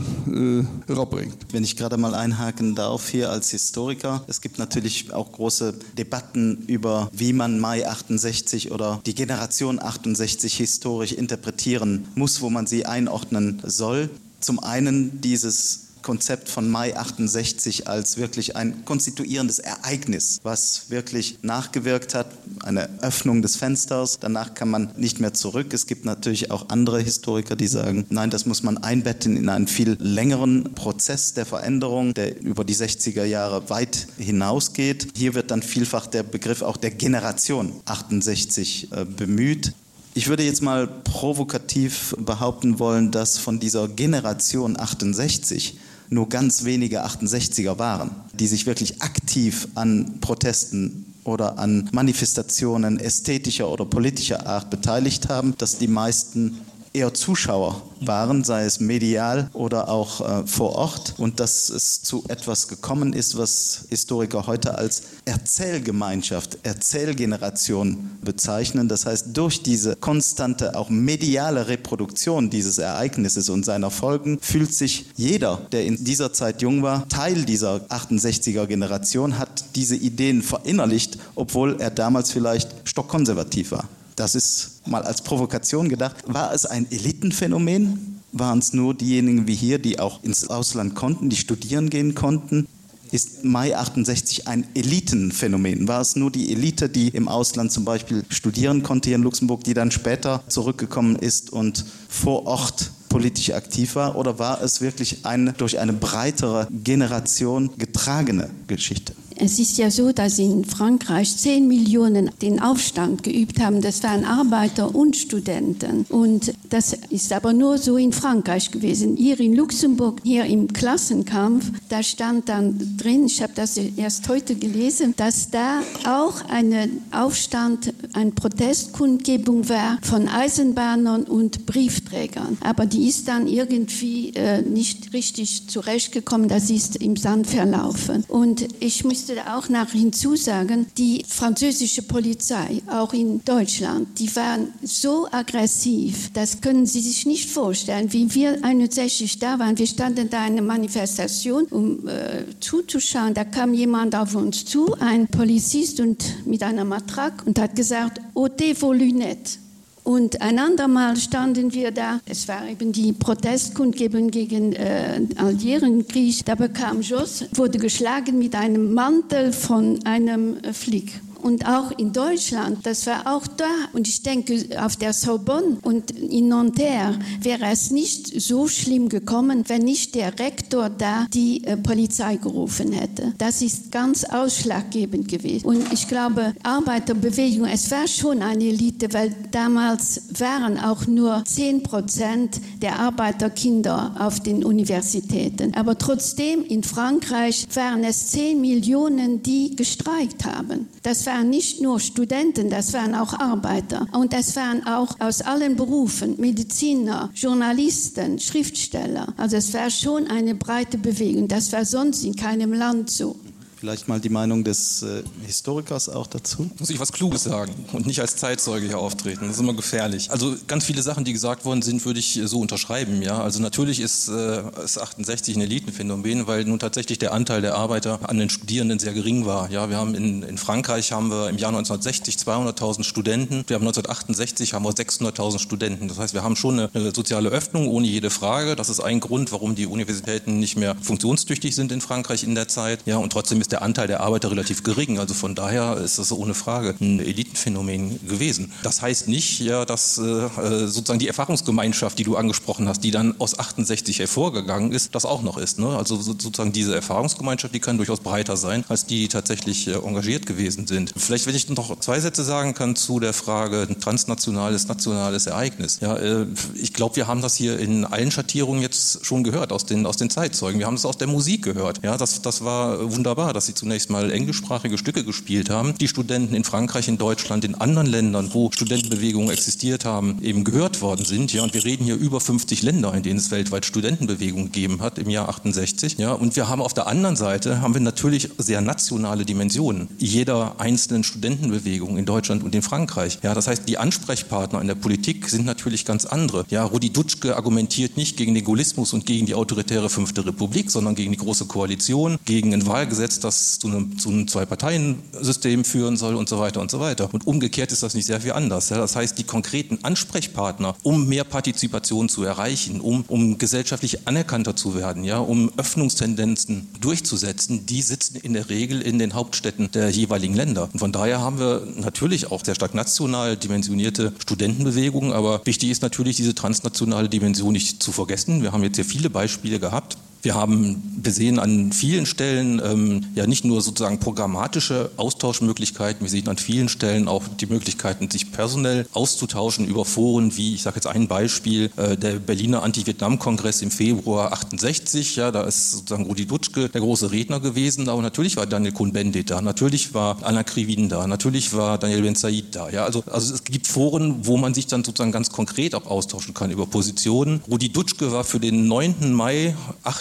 herabringt. Wenn ich gerade mal einhaken darf hier als Historiker, es gibt natürlich auch große Debatten über wie man Mai 68 oder die Generation 68 historisch interpretieren muss, wo man sie einordnen soll. Zum einen dieses Konzept von Mai 68 als wirklich ein konstituierendes Ereignis, was wirklich nachgewirkt hat, eine Öffnung des Fensters. Danach kann man nicht mehr zurück. Es gibt natürlich auch andere Historiker, die sagen: Nein, das muss man einbetten in einen viel längeren Prozess der Veränderung, der über die 60er Jahre weit hinausgeht. Hier wird dann vielfach der Begriff auch der Generation 68 äh, bemüht. Ich würde jetzt mal provokativ behaupten wollen, dass von dieser Generation 68 nur ganz wenige 68er waren, die sich wirklich aktiv an Protesten oder an Manifestationen ästhetischer oder politischer Art beteiligt haben, dass die meisten eher Zuschauer waren, sei es medial oder auch äh, vor Ort und dass es zu etwas gekommen ist, was Historiker heute als Erzählgemeinschaft, Erzählgeneration bezeichnen. Das heißt, durch diese konstante, auch mediale Reproduktion dieses Ereignisses und seiner Folgen fühlt sich jeder, der in dieser Zeit jung war, Teil dieser 68er Generation, hat diese Ideen verinnerlicht, obwohl er damals vielleicht stockkonservativ war. Das ist mal als Provokation gedacht. War es ein Elitenphänomen? Waren es nur diejenigen wie hier, die auch ins Ausland konnten, die studieren gehen konnten? Ist Mai 68 ein Elitenphänomen? War es nur die Elite, die im Ausland zum Beispiel studieren konnte hier in Luxemburg, die dann später zurückgekommen ist und vor Ort politisch aktiv war? Oder war es wirklich eine durch eine breitere Generation getragene Geschichte? Es ist ja so, dass in Frankreich 10 Millionen den Aufstand geübt haben. Das waren Arbeiter und Studenten. Und das ist aber nur so in Frankreich gewesen. Hier in Luxemburg, hier im Klassenkampf, da stand dann drin, ich habe das erst heute gelesen, dass da auch ein Aufstand, eine Protestkundgebung war von Eisenbahnern und Briefträgern. Aber die ist dann irgendwie äh, nicht richtig zurechtgekommen, das ist im Sand verlaufen. Und ich müsste auch nach hinzusagen, die französische Polizei, auch in Deutschland, die waren so aggressiv, das können Sie sich nicht vorstellen, wie wir 61 da waren. Wir standen da eine Manifestation, um äh, zuzuschauen. Da kam jemand auf uns zu, ein Polizist und mit einer Matrake und hat gesagt: "Ôtez vos lunettes." Und ein andermal standen wir da, es war eben die Protestkundgebung gegen äh, Algerienkrieg, da bekam Jos, wurde geschlagen mit einem Mantel von einem äh, Flick. Und auch in Deutschland, das war auch da und ich denke auf der Sorbonne und in Nanterre wäre es nicht so schlimm gekommen, wenn nicht der Rektor da die äh, Polizei gerufen hätte. Das ist ganz ausschlaggebend gewesen. Und ich glaube Arbeiterbewegung, es war schon eine Elite, weil damals waren auch nur 10 Prozent der Arbeiterkinder auf den Universitäten. Aber trotzdem in Frankreich waren es 10 Millionen, die gestreikt haben. Das waren nicht nur Studenten, das waren auch Arbeiter und das waren auch aus allen Berufen Mediziner, Journalisten, Schriftsteller. Also es war schon eine breite Bewegung. Das war sonst in keinem Land so. Vielleicht mal die Meinung des äh, Historikers auch dazu. Muss ich was Kluges sagen und nicht als Zeitzeuge hier auftreten. Das ist immer gefährlich. Also ganz viele Sachen, die gesagt worden sind, würde ich äh, so unterschreiben. Ja? Also natürlich ist, äh, ist 68 ein Elitenphänomen, weil nun tatsächlich der Anteil der Arbeiter an den Studierenden sehr gering war. Ja, wir haben in, in Frankreich haben wir im Jahr 1960 200.000 Studenten. Wir haben 1968 haben wir 600.000 Studenten. Das heißt, wir haben schon eine, eine soziale Öffnung ohne jede Frage. Das ist ein Grund, warum die Universitäten nicht mehr funktionstüchtig sind in Frankreich in der Zeit. Ja, und trotzdem ist der Anteil der Arbeiter relativ gering. Also von daher ist das ohne Frage ein Elitenphänomen gewesen. Das heißt nicht, ja, dass äh, äh sozusagen die Erfahrungsgemeinschaft, die du angesprochen hast, die dann aus 68 hervorgegangen ist, das auch noch ist. Ne? Also sozusagen diese Erfahrungsgemeinschaft, die kann durchaus breiter sein, als die, die tatsächlich äh, engagiert gewesen sind. Vielleicht, wenn ich noch zwei Sätze sagen kann zu der Frage transnationales, nationales Ereignis. Ja, äh, ich glaube, wir haben das hier in allen Schattierungen jetzt schon gehört aus den, aus den Zeitzeugen. Wir haben es aus der Musik gehört. Ja, das, das war wunderbar, dass sie zunächst mal englischsprachige Stücke gespielt haben, die Studenten in Frankreich, in Deutschland, in anderen Ländern, wo Studentenbewegungen existiert haben, eben gehört worden sind. Ja, und wir reden hier über 50 Länder, in denen es weltweit Studentenbewegungen gegeben hat im Jahr 68. Ja, und wir haben auf der anderen Seite haben wir natürlich sehr nationale Dimensionen jeder einzelnen Studentenbewegung in Deutschland und in Frankreich. Ja, das heißt, die Ansprechpartner in der Politik sind natürlich ganz andere. Ja, Rudi Dutschke argumentiert nicht gegen den Gaullismus und gegen die autoritäre Fünfte Republik, sondern gegen die Große Koalition, gegen ein Wahlgesetz, das zu einem, zu einem Zwei-Parteien-System führen soll und so weiter und so weiter. Und umgekehrt ist das nicht sehr viel anders. Ja, das heißt, die konkreten Ansprechpartner, um mehr Partizipation zu erreichen, um, um gesellschaftlich anerkannter zu werden, ja, um Öffnungstendenzen durchzusetzen, die sitzen in der Regel in den Hauptstädten der jeweiligen Länder. Und von daher haben wir natürlich auch sehr stark national dimensionierte Studentenbewegungen, aber wichtig ist natürlich diese transnationale Dimension nicht zu vergessen. Wir haben jetzt sehr viele Beispiele gehabt. Wir haben gesehen an vielen Stellen ähm, ja nicht nur sozusagen programmatische Austauschmöglichkeiten, wir sehen an vielen Stellen auch die Möglichkeiten, sich personell auszutauschen über Foren wie ich sage jetzt ein Beispiel äh, der Berliner Anti-Vietnam-Kongress im Februar 68. Ja, da ist sozusagen Rudi Dutschke der große Redner gewesen, aber natürlich war Daniel Cohn-Bendit da, natürlich war Anna Krivin da, natürlich war Daniel Ben Said da. Ja, also, also es gibt Foren, wo man sich dann sozusagen ganz konkret auch austauschen kann über Positionen. Rudi Dutschke war für den 9. Mai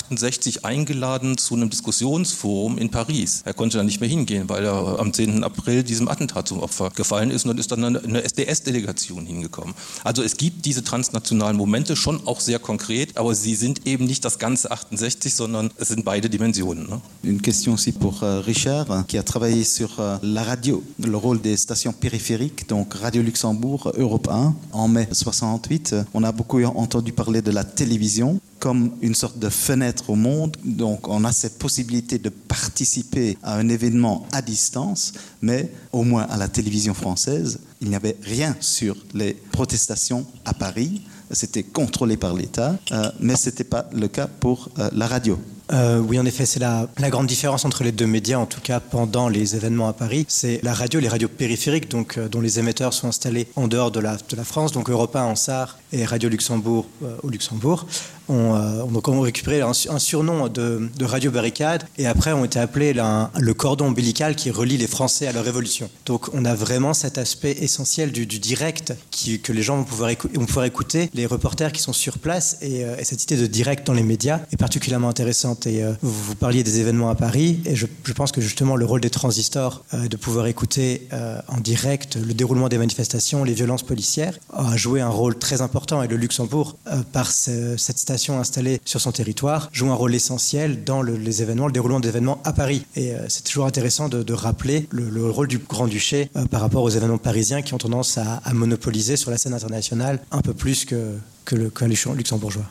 68 eingeladen zu einem Diskussionsforum in Paris. Er konnte dann nicht mehr hingehen, weil er am 10. April diesem Attentat zum Opfer gefallen ist und dann ist dann eine SDS-Delegation hingekommen. Also es gibt diese transnationalen Momente schon auch sehr konkret, aber sie sind eben nicht das ganze 68, sondern es sind beide Dimensionen. Ne? Une question aussi pour euh, Richard qui a travaillé sur euh, la radio, le rôle des stations périphériques, donc Radio Luxembourg Europe 1 en mai 68. On a beaucoup entendu parler de la télévision comme une sorte de fenêtre au monde. Donc on a cette possibilité de participer à un événement à distance, mais au moins à la télévision française, il n'y avait rien sur les protestations à Paris. C'était contrôlé par l'État, euh, mais ce n'était pas le cas pour euh, la radio. Euh, oui, en effet, c'est la, la grande différence entre les deux médias, en tout cas pendant les événements à Paris. C'est la radio, les radios périphériques, donc, euh, dont les émetteurs sont installés en dehors de la, de la France, donc Europe 1 en Sarre et Radio Luxembourg euh, au Luxembourg, ont, euh, ont donc ont récupéré un, un surnom de, de radio barricade et après ont été appelés la, le cordon ombilical qui relie les Français à leur révolution. Donc on a vraiment cet aspect essentiel du, du direct qui, que les gens vont pouvoir, écou vont pouvoir écouter, les reporters qui sont sur place et, euh, et cette idée de direct dans les médias est particulièrement intéressante. Et euh, vous, vous parliez des événements à Paris et je, je pense que justement le rôle des transistors euh, de pouvoir écouter euh, en direct le déroulement des manifestations, les violences policières a joué un rôle très important et le Luxembourg euh, par ce, cette station installée sur son territoire joue un rôle essentiel dans le, les événements, le déroulement d'événements à Paris. Et euh, c'est toujours intéressant de, de rappeler le, le rôle du Grand-Duché euh, par rapport aux événements parisiens qui ont tendance à, à monopoliser sur la scène internationale un peu plus que, que le, que les luxembourgeois.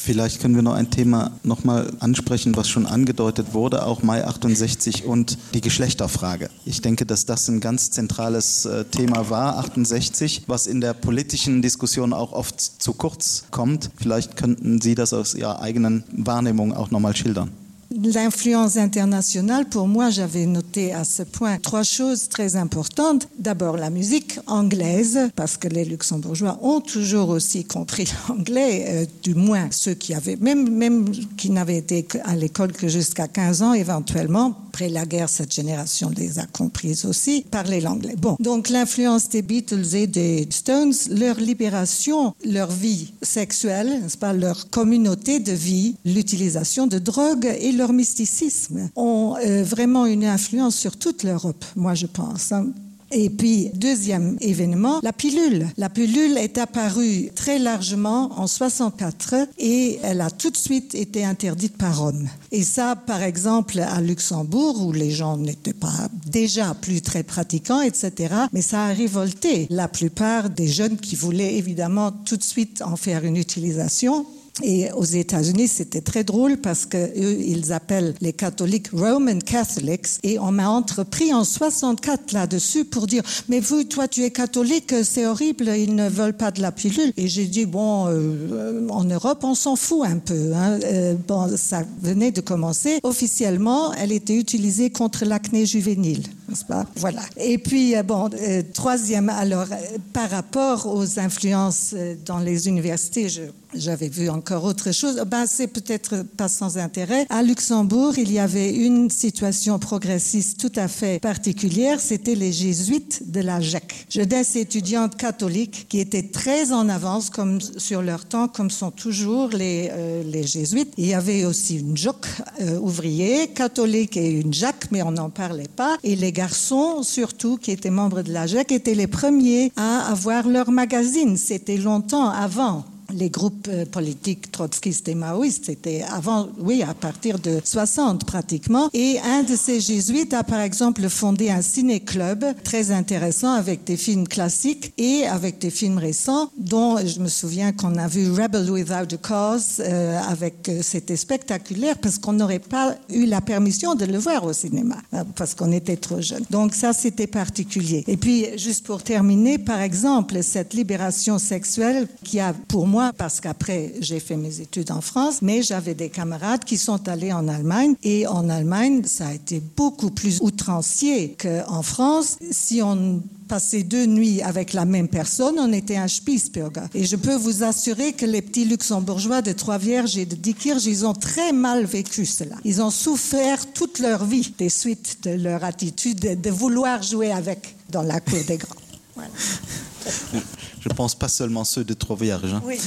Vielleicht können wir noch ein Thema noch mal ansprechen, was schon angedeutet wurde, auch Mai 68 und die Geschlechterfrage. Ich denke, dass das ein ganz zentrales äh, Thema war 68, was in der politischen Diskussion auch oft zu kurz kommt. Vielleicht könnten Sie das aus Ihrer eigenen Wahrnehmung auch noch mal schildern. L'influence internationale, pour moi, j'avais noté à ce point trois choses très importantes. D'abord la musique anglaise, parce que les luxembourgeois ont toujours aussi compris l'anglais, euh, du moins ceux qui avaient même, même qui n'avaient été à l'école que jusqu'à 15 ans éventuellement après la guerre cette génération les a comprises aussi parler l'anglais. Bon donc l'influence des Beatles et des Stones, leur libération, leur vie sexuelle, n'est-ce pas leur communauté de vie, l'utilisation de drogues et leur mysticisme ont euh, vraiment une influence sur toute l'Europe, moi je pense. Hein. Et puis deuxième événement, la pilule. La pilule est apparue très largement en 64 et elle a tout de suite été interdite par Rome. Et ça par exemple à Luxembourg où les gens n'étaient pas déjà plus très pratiquants, etc. Mais ça a révolté la plupart des jeunes qui voulaient évidemment tout de suite en faire une utilisation. Et aux États-Unis, c'était très drôle parce que eux, ils appellent les catholiques Roman Catholics et on m'a entrepris en 64 là-dessus pour dire mais vous toi tu es catholique, c'est horrible, ils ne veulent pas de la pilule et j'ai dit bon euh, en Europe on s'en fout un peu hein. euh, bon ça venait de commencer officiellement elle était utilisée contre l'acné juvénile n'est-ce pas voilà et puis euh, bon euh, troisième alors euh, par rapport aux influences euh, dans les universités je j'avais vu encore autre chose ben c'est peut-être pas sans intérêt à luxembourg il y avait une situation progressiste tout à fait particulière c'était les jésuites de la jacques jeunesse étudiante catholique qui était très en avance comme sur leur temps comme sont toujours les euh, les jésuites il y avait aussi une joc euh, ouvrier catholique et une jacques mais on n'en parlait pas et les garçons surtout qui étaient membres de la jacques étaient les premiers à avoir leur magazine c'était longtemps avant les groupes euh, politiques trotskistes et maoïstes c'était avant oui à partir de 60 pratiquement et un de ces jésuites a par exemple fondé un ciné club très intéressant avec des films classiques et avec des films récents dont je me souviens qu'on a vu rebel without a cause euh, avec euh, c'était spectaculaire parce qu'on n'aurait pas eu la permission de le voir au cinéma euh, parce qu'on était trop jeune donc ça c'était particulier et puis juste pour terminer par exemple cette libération sexuelle qui a pour moi parce qu'après j'ai fait mes études en France, mais j'avais des camarades qui sont allés en Allemagne et en Allemagne ça a été beaucoup plus outrancier qu'en France. Si on passait deux nuits avec la même personne, on était un Spiesburger. Et je peux vous assurer que les petits luxembourgeois de Trois-Vierges et de Diekirch, ils ont très mal vécu cela. Ils ont souffert toute leur vie des suites de leur attitude de, de vouloir jouer avec dans la cour des grands. Voilà. Je pense pas seulement ceux de Trois-Vierges. Oui,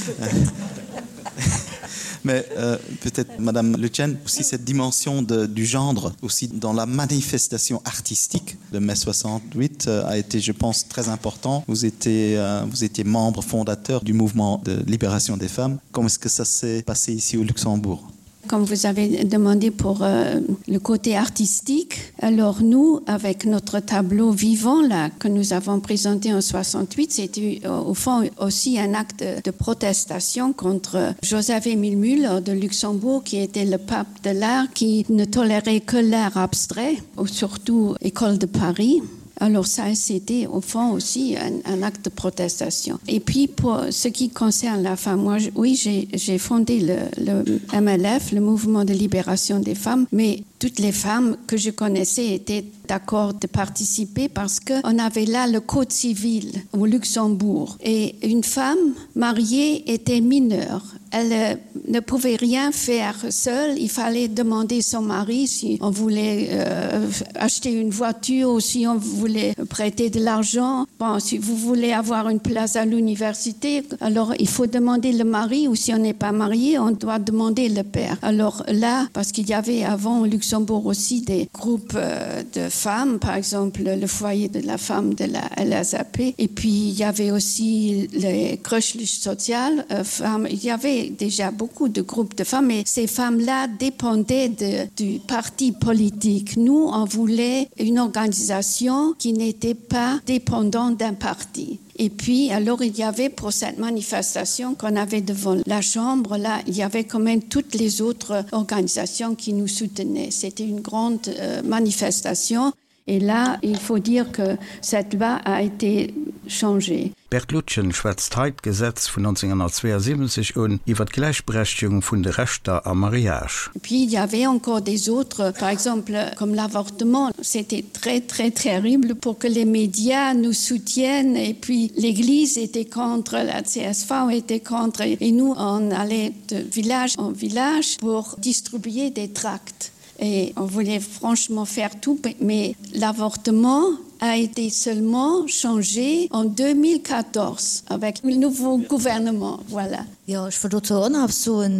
Mais euh, peut-être Madame Lucienne aussi cette dimension de, du gendre aussi dans la manifestation artistique de mai 68 euh, a été je pense très important. Vous étiez, euh, vous étiez membre fondateur du mouvement de libération des femmes. Comment est-ce que ça s'est passé ici au Luxembourg? Comme vous avez demandé pour euh, le côté artistique, alors nous, avec notre tableau vivant là que nous avons présenté en 68, c'était euh, au fond aussi un acte de protestation contre Joseph Emile Müller de Luxembourg, qui était le pape de l'art, qui ne tolérait que l'art abstrait, ou surtout École de Paris. Alors ça c'était au fond aussi un, un acte de protestation. Et puis pour ce qui concerne la femme, moi je, oui j'ai fondé le, le MLF, le mouvement de libération des femmes, mais toutes les femmes que je connaissais étaient d'accord de participer parce qu'on avait là le code civil au Luxembourg et une femme mariée était mineure. Elle euh, ne pouvait rien faire seule, il fallait demander son mari si on voulait euh, acheter une voiture ou si on voulait prêter de l'argent. Bon, si vous voulez avoir une place à l'université, alors il faut demander le mari ou si on n'est pas marié, on doit demander le père. Alors là, parce qu'il y avait avant au Luxembourg aussi des groupes euh, de femmes, par exemple le foyer de la femme de la LSAP et puis il y avait aussi les crushlich sociales euh, femmes, il y avait déjà beaucoup de groupes de femmes et ces femmes-là dépendaient de, du parti politique. Nous, on voulait une organisation qui n'était pas dépendante d'un parti. Et puis alors il y avait pour cette manifestation qu'on avait devant la chambre là, il y avait quand même toutes les autres organisations qui nous soutenaient. C'était une grande euh, manifestation et là il faut dire que cette loi a été changée. D'Berthe Lutgen schwätzt hei d'Gesetz vun 1972 un iwwer d'Gläichberechtegung vun de Rechter am Mariage. Puis il y avait encore des autres, par exemple comme l'avortement, c'était très très terrible pour que les médias nous soutiennent et puis l'église était contre, la CSV était contre et nous on allait de village en village pour distribuer des tracts. Et on voulait franchement faire tout, mais l'avortement a été seulement changé en 2014 avec le nouveau gouvernement voilà. Jo, ech wëll dozou och nach eppes soen.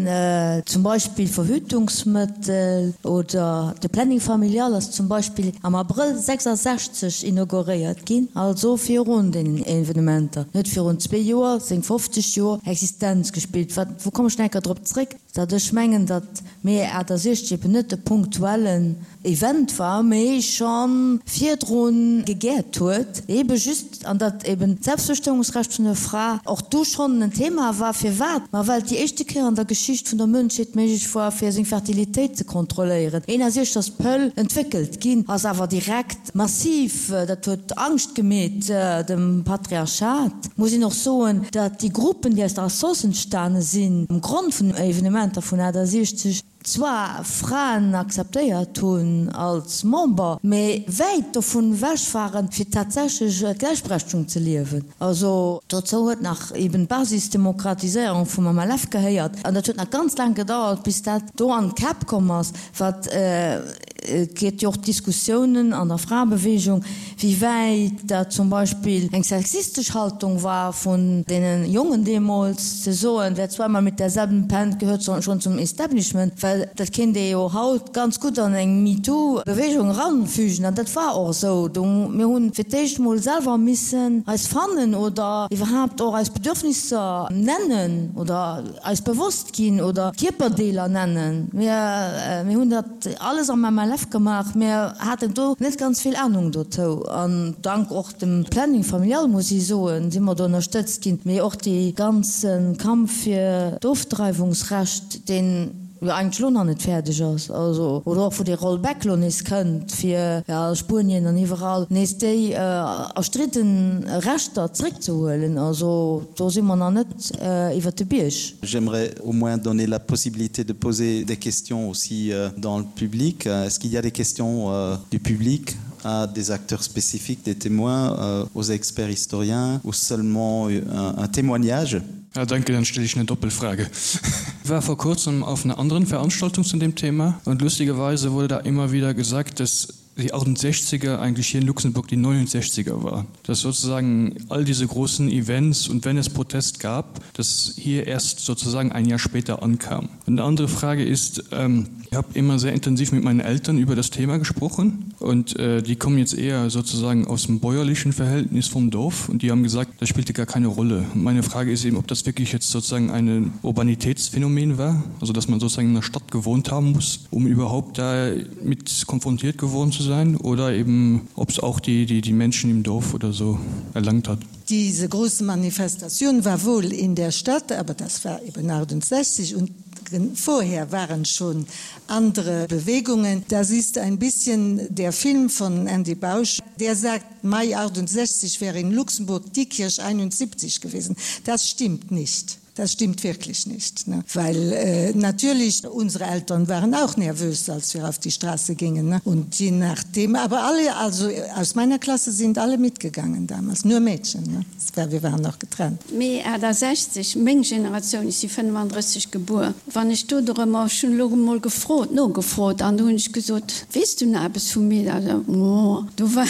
Zum Beispill Verhütungsmëttel oder de Planning familial ass zum Beispill am Abrëll 66 inauguréiert ginn, also virun deenen Evenementer. En huet virun zwee Joer seng 50 Joer Existenz gespillt. Wat, wou kommen ech nach eng Kéier drop zréck, datt ech mengen, datt Mee 68 eben net e punktuellen Event war, mee scho virdru gegäert huet, ebe just, an datt eben d'Selbstbestëmmungsrecht vun der Fra och du schonn en Thema war. Firwat? Ma well et déi éischte Kéier an der Geschicht vun der Mënschheet méiglech war, fir seng Fertilitéit ze kontrolléieren. 61 ass d'Pëll entwéckelt ginn, ass awer direkt massiv, dat huet Angscht gemeet dem Patriarchat. Muss een och soen, datt déi Gruppen, déi aus der Assoss entstane sinn, um Grond vun den Evenementer vun 68, zwar Fraen akzeptéiert hunn als Member, mee wäit dovun ewech waren, fir tatsächlech d'Gläichberechtegung ze liewen. Also dozou huet nach eben d'Basisdemokratiséierung vum MLF gehéiert, an dat huet nach ganz laang gedauert, bis dat do an d'Käpp komm ass, wat Et gëtt jo och Diskussiounen an der Fraebeweegung, wéi wäit dat zum Beispill eng sexistesch Haltung war vun deene Jongen deemools, ze soen, wer zweimal mit derselben pennt, gehört schon zum Establishment, well dat kéint ee jo haut ganz gutt an eng MeToo-Beweegung eranfügen. An dat war och esou. Do, mir hunn fir d'éischt emol selwer missen eis fannen oder iwwerhaapt och eis Bedürfnisser nennen oder eis bewosst ginn oder Kierperdeeler nennen. Mir, mir hunn dat. Alles am MLF gemaach. Mir haten do net ganz vill Ahnung dozou an dank och dem Planning familial, muss ech soen, si mer do ënnerstëtzt ginn. Mee och dee ganze Kampf fir d'Ofdreiwungsrecht, deen jo eigentlech elo nach net fäerdeg ass, also oder och wou dee Rollback elo nees kënnt, fir a Spuenien an iwwerall nees déi erstridden Rechter zréckzehuelen. Also do si mer nach net iwwert de Bierg. J'aimerais au moins donner la possibilité de poser des questions aussi euh, dans le public. Euh, est-ce qu'il y a des questions euh, du public à des acteurs spécifiques, des témoins, euh, aux experts historiens ou seulement un, un témoignage? Ja, danke, dann stelle ich eine Doppelfrage. Ich war vor kurzem auf einer anderen Veranstaltung zu dem Thema und lustigerweise wurde da immer wieder gesagt, dass die 68er eigentlich hier in Luxemburg die 69er war. Dass sozusagen all diese großen Events und wenn es Protest gab, dass hier erst sozusagen ein Jahr später ankam. Und eine andere Frage ist, ähm, ich habe immer sehr intensiv mit meinen Eltern über das Thema gesprochen und äh, die kommen jetzt eher sozusagen aus dem bäuerlichen Verhältnis vom Dorf und die haben gesagt, das spielte gar keine Rolle. Und meine Frage ist eben, ob das wirklich jetzt sozusagen ein Urbanitätsphänomen war, also dass man sozusagen in der Stadt gewohnt haben muss, um überhaupt da mit konfrontiert geworden zu sein oder eben ob es auch die, die, die Menschen im Dorf oder so erlangt hat. Diese große Manifestation war wohl in der Stadt, aber das war eben 68 und vorher waren schon andere Bewegungen. Das ist ein bisschen der Film von Andy Bausch, der sagt Mai 68 wäre in Luxemburg Diekirch 71 gewesen. Das stimmt nicht. Das stimmt wirklich nicht, ne? weil äh, natürlich unsere Eltern waren auch nervös, als wir auf die Straße gingen ne? und je nachdem aber alle also aus meiner Klasse sind alle mitgegangen damals nur Mädchen ne? Das war, wir waren noch getrennt. Mee 68, meng Generatioun, ech si 35 gebuer, wann ech do dorëmmer, ech hunn elo emol gefrot, nogefrot an du hunn ech gesot, Weess du nach eppes vu mir? Oh, do war,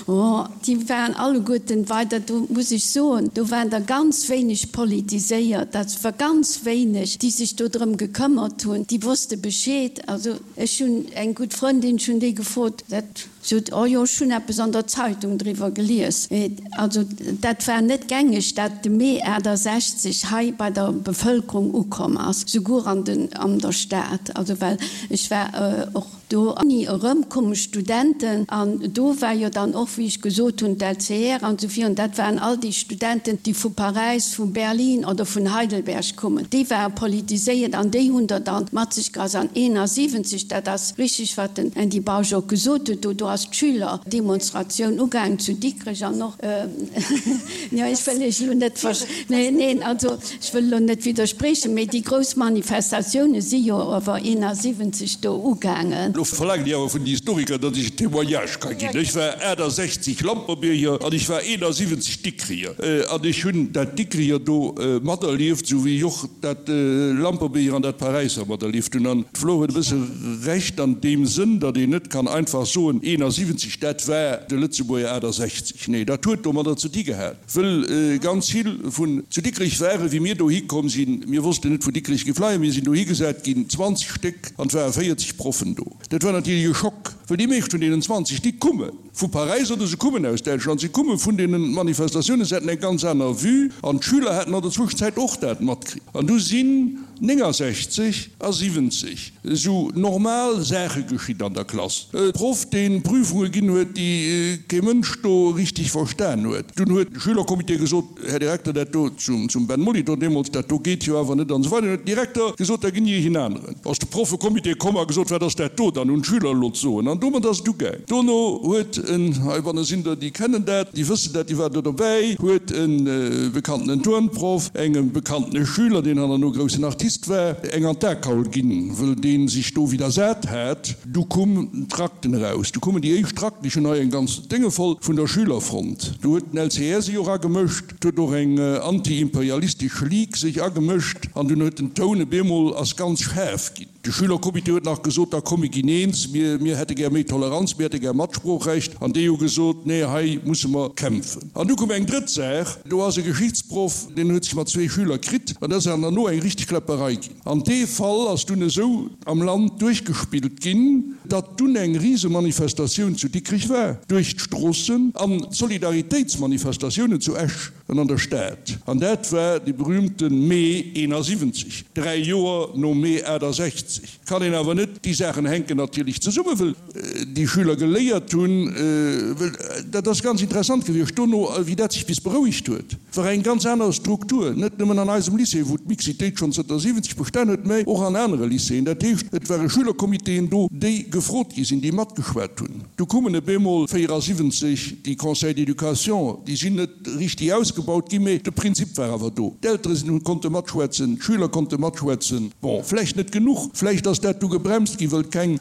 oh, déi waren alleguerten weider, do muss ech soen, do waren der ganz wéineg politiséiert, dat war ganz wéineg, déi sech do drëm gekëmmert hunn, déi wosste Bescheed. Also ech hunn eng gutt Frëndin, ech hunn déi gefrot, dat sot, oh jo, ech hunn eppes an der Zeitung driwwer gelies. Also dat war net gängeg, dat de Mee 68 hei bei der Bevëlkerung ukomm ass, souguer an den, an der Stad. Also well ech war och. Do Uni erëmkomme Studenten an do war jo dann och, wéi ech gesot hunn, d'LCR an esou virun, dat waren all déi Studenten, déi vu Paräis, vu Berlin oder vun Heidelberg kommen. Déi ware politiséiert an déi hunn der dann mat sech geass. An 71, dat ass richtig, wat den Andy Bausch och gesot huet, do, do ass d'Schülerdemonstratioun ugaangen zu Dikrech an och, jo, ech wëll Iech elo net, neen, also, Ech wëll elo net widderspriechen, mee déi grouss Manifestatioune si jo awer 71 do ugaangen. Lo verlaangen déi awer vun den Historiker, datt ech en Témoignage ka ginn. Ech war 68 Lamperbierger an ech war 71 Dikrier. An ech hunn dat Dikrier do materlieft, esou wéi ech och dat Lamperbierger an dat Paräisser materlieft hunn. An d'Flor huet e bësse Recht an deem Sënn, datt een net kann einfach soen, 71, dat war de Lëtzebuerger 68. Nee, dat huet domadder ze di gehat. Wëll ganz vill vun zu Dikrech waren, wéi mir dohi komm sinn. Mir wossten net, wou Dikrech géif leien. Mir sinn dohi gesat ginn, 20 Stéck, an et ware 40 Proffen do. Dat war natierlech e Schock, wëll déi meescht vun deenen 20, déi kumme vu Paräis oder se kummen aus Däitschland, se kumme vun deene Manifestatiounen, se haten eng ganz aner Vue an d'Schüler haten an der Zwëschenzäit och dat matkritt. An du sinn 69 a 70 Esou normal Saache geschitt an der Klass. E Proff, deen Prüfunge ginn huet, déi kee Mënsch do richteg verstan huet. Dunn huet de Schülercomité gesot, Här Direkter, dat do, zum Ben Molitor deemools, dat do geet jo awer net an esou weider. Dunn huet den Direkter gesot, da ginn ech een aneren. Ass de Proffecomité komm a gesot, Wat ass dat do? Dann hunn d'Schüler elo d'Soen. An domat ass et ugaang. Dono huet en, heibanne sinn der, déi kennen dat, déi wëssen dat, déi waren do dobäi, huet e bekannten Turnproff engem bekannte Schüler, deen hannerno groussen Artist war, eng an d'Akaul ginn, wëll dee sech do widdersat hat. Du kumm d'Trakten eraus, du kummen déi éischt Trakten, ech hunn hei eng ganz Dénge voll, vun der Schülerfront. Do huet den LCR sech och agemëscht, et huet och eng anti-imperialistesch Ligue sech agemëscht an dunn huet den Toun e bemol ass ganz schaarf ginn. De Schülercomité huet nach gesot, da komm mir ginn eens, mir, mir hätte gär méi Toleranz, mir hätte gär Matsproochrecht. An déi hu gesot, nee, hei musse mer kämpfen. An du koum eng drëtt Saach, do ass e Geschichtsproff, deen huet sech mat zwee Schüler kritt an dat ass dann herno eng richteg Kläpperei ginn. An dee Fall ass dunn esou am Land duerchgespillt ginn, datt dunn eng Risemanifestatioun zu Dikrech war, duerch d'Stroossen an Solidaritéitsmanifestatiounen zu Esch. An an der Stad. An dat war dee berühmte Mee 71, dräi Joer nom Mee 68. Kann een awer net, déi Saachen hänken natierlech zesummen, wëll déi Schüler geléiert hunn, wëll dat ass ganz interessant gewiescht dono, wéi dat sech bis berouegt huet, war eng ganz aner Struktur, net nëmmen an eisem Lycée, wou d'Mixitéit schonn zënter 70 bestan huet, mä och an anere Lycéeën. Dat heescht, et ware Schülercomitéen do, déi gefrot gi sinn, déi matgeschwat hunn. Du kummen e bemol 74 déi Conseils d'éducation, déi sinn net richtig ausgebaut ginn, mee de Prinzip war awer do. D'Eltere sinn, konnte matschwätzen, d'Schüler konnte matschwätzen. Bon, vläicht net genuch, vläicht ass dat du gebremst ginn, wëll keng,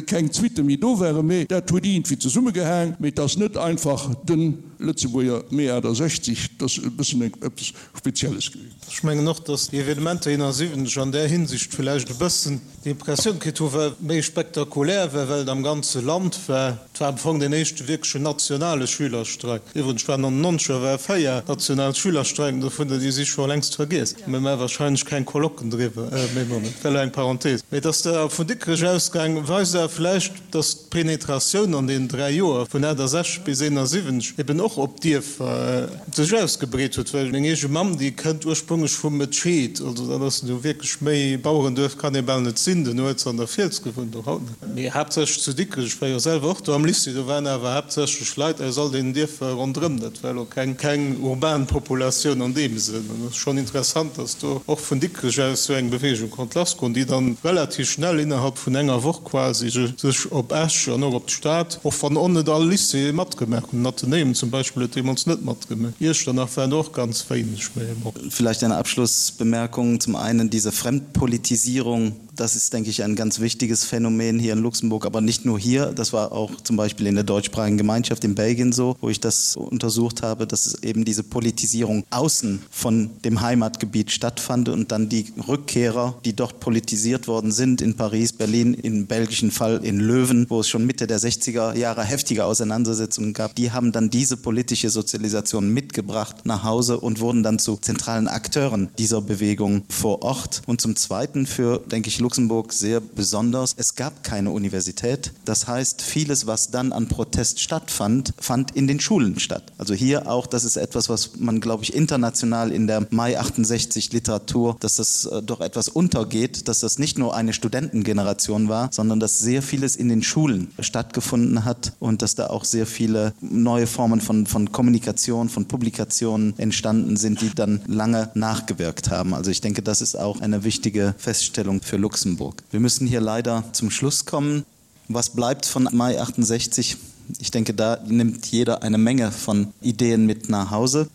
keng Suitte méi do waren, mee dat huet iergendwéi zesummegehaang. Mee et ass net einfach de Lëtzebuerger Mee 68, et ass e bëssen eppes Spezielles gewiescht. Ech mengen och, datt déi Evenementer 71 an där Hinsicht vläicht e bëssen déi Impressioun kritt hu war méi spektakulär war, well et am ganze Land war. Et war am Fong deen éischte wierklechen nationale Schülerstreik. Iwwregens war 99 war 4 national Schülerstreiken, dovunner déi si scho längst vergiess. Mir maache wahrscheinlech keng Colloquen driwwer, mee bon, dat war elo eng Parenthese. Mee datt der vun Dikrech ausgaang weist awer vläicht, datt d'Penetratioun an deenen 3 Joer vun 68 bis 71 eben och op Dierfer sech ausgebreet huet, well meng eege Mamm, déi kënnt ursprünglech vu Metscheed, also dat ass nu wierklech méi Bauerenduerf kann ee bal net sinn, duerno huet se an der Fiels gewunnt, och haut nach, mee haaptsächlech zu Dikrech. Ech war jo selwer och do am Lycée, do waren awer haaptsächlech Leit aus all deenen Dierfer ronderëm, dat war elo keng keng urban Populatioun an deem Sënn. An et ass schonn interessant, datt do och vun Dikrech aus esou eng Beweegung konnt lassgoen, déi dann relativ schnell innerhalb vun enger Woch quasi sech op Esch an och op d'Stad, och wann och net all Lycéeë matgemaach hunn, den Athenäum zum Beispill huet deemools net matgemaach, Iechternach waren der och ganz wéineg, mä bon. Vielleicht eine Abschlussbemerkung, Zum einen diese Fremdpolitisierung, das ist, denke ich, ein ganz wichtiges Phänomen hier in Luxemburg, aber nicht nur hier, das war auch zum Beispiel in der deutschsprachigen Gemeinschaft in Belgien so, wo ich das untersucht habe, dass es eben diese Politisierung außen von dem Heimatgebiet stattfand und dann die Rückkehrer, die dort politisiert worden sind in Paris, Berlin, im belgischen Fall in Löwen, wo es schon Mitte der 60er Jahre heftige Auseinandersetzungen gab, die haben dann diese Politisierung. politische Sozialisation mitgebracht nach Hause und wurden dann zu zentralen Akteuren dieser Bewegung vor Ort. Und zum Zweiten für, denke ich, Luxemburg sehr besonders, es gab keine Universität. Das heißt, vieles, was dann an Protest stattfand, fand in den Schulen statt. Also hier auch, das ist etwas, was man, glaube ich, international in der Mai 68 Literatur, dass das äh, doch etwas untergeht, dass das nicht nur eine Studentengeneration war, sondern dass sehr vieles in den Schulen stattgefunden hat und dass da auch sehr viele neue Formen von, von Kommunikation, von Publikationen entstanden sind, die dann lange nachgewirkt haben. Also ich denke, das ist auch eine wichtige Feststellung für Luxemburg. Wir müssen hier leider zum Schluss kommen. Was bleibt von Mai 68? Ich denke, da nimmt jeder eine Menge von Ideen mit nach Hause.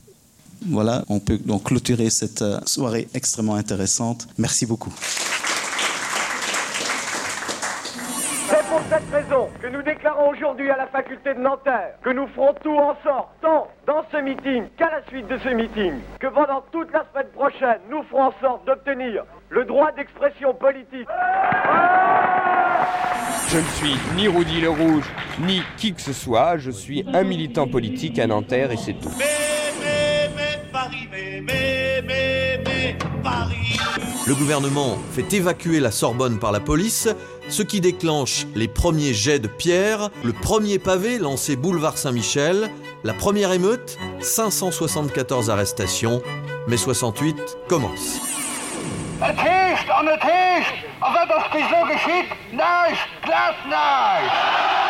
Voilà, on peut donc clôturer cette euh, soirée extrêmement intéressante. Merci beaucoup. C'est pour cette raison que nous déclarons aujourd'hui à la faculté de Nanterre que nous ferons tout en sorte, tant dans ce meeting qu'à la suite de ce meeting, que pendant toute la semaine prochaine, nous ferons en sorte d'obtenir le droit d'expression politique. Je ne suis ni Rudy le Rouge, ni qui que ce soit, je suis un militant politique à Nanterre et c'est tout. Le gouvernement fait évacuer la Sorbonne par la police, ce qui déclenche les premiers jets de pierre, le premier pavé lancé boulevard Saint-Michel, la première émeute, 574 arrestations, mais 68 commence. Et heescht an et heescht, a wat ass bis elo geschitt? Näischt, glatt näischt!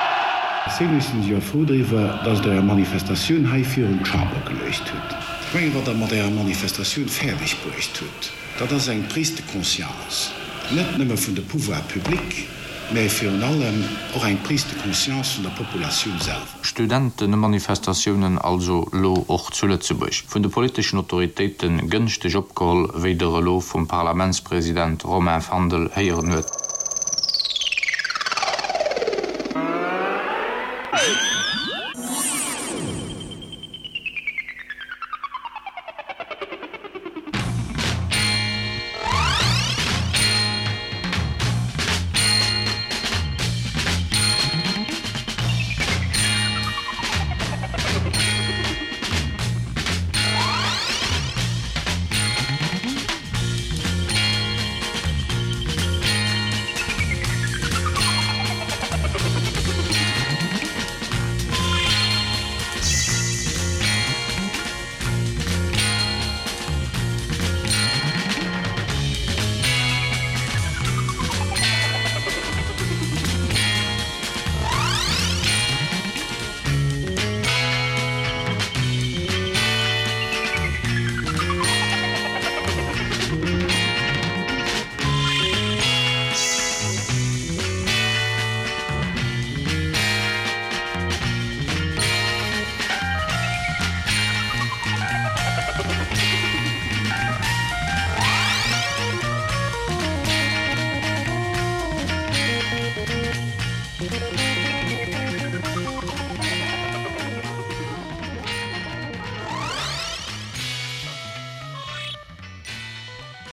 Si mussen jo frou driwwer, dass Der Är Manifestatioun hei virun d'Chamber geluecht hutt. Ech mengen, wat Der mat Ärer Manifestatioun fäerdeg bruecht hutt, dat ass eng Prise de conscience, net nëmme vun de Pouvoirs publics, mä virun allem och eng Prise de conscience vun der Populatioun selwer. Studentemanifestatiounen also lo och zu Lëtzebuerg, vun de politeschen Autoritéite gënschteg opgeholl, wéi der elo vum Parlamentspresident Romain Fandel héieren huet.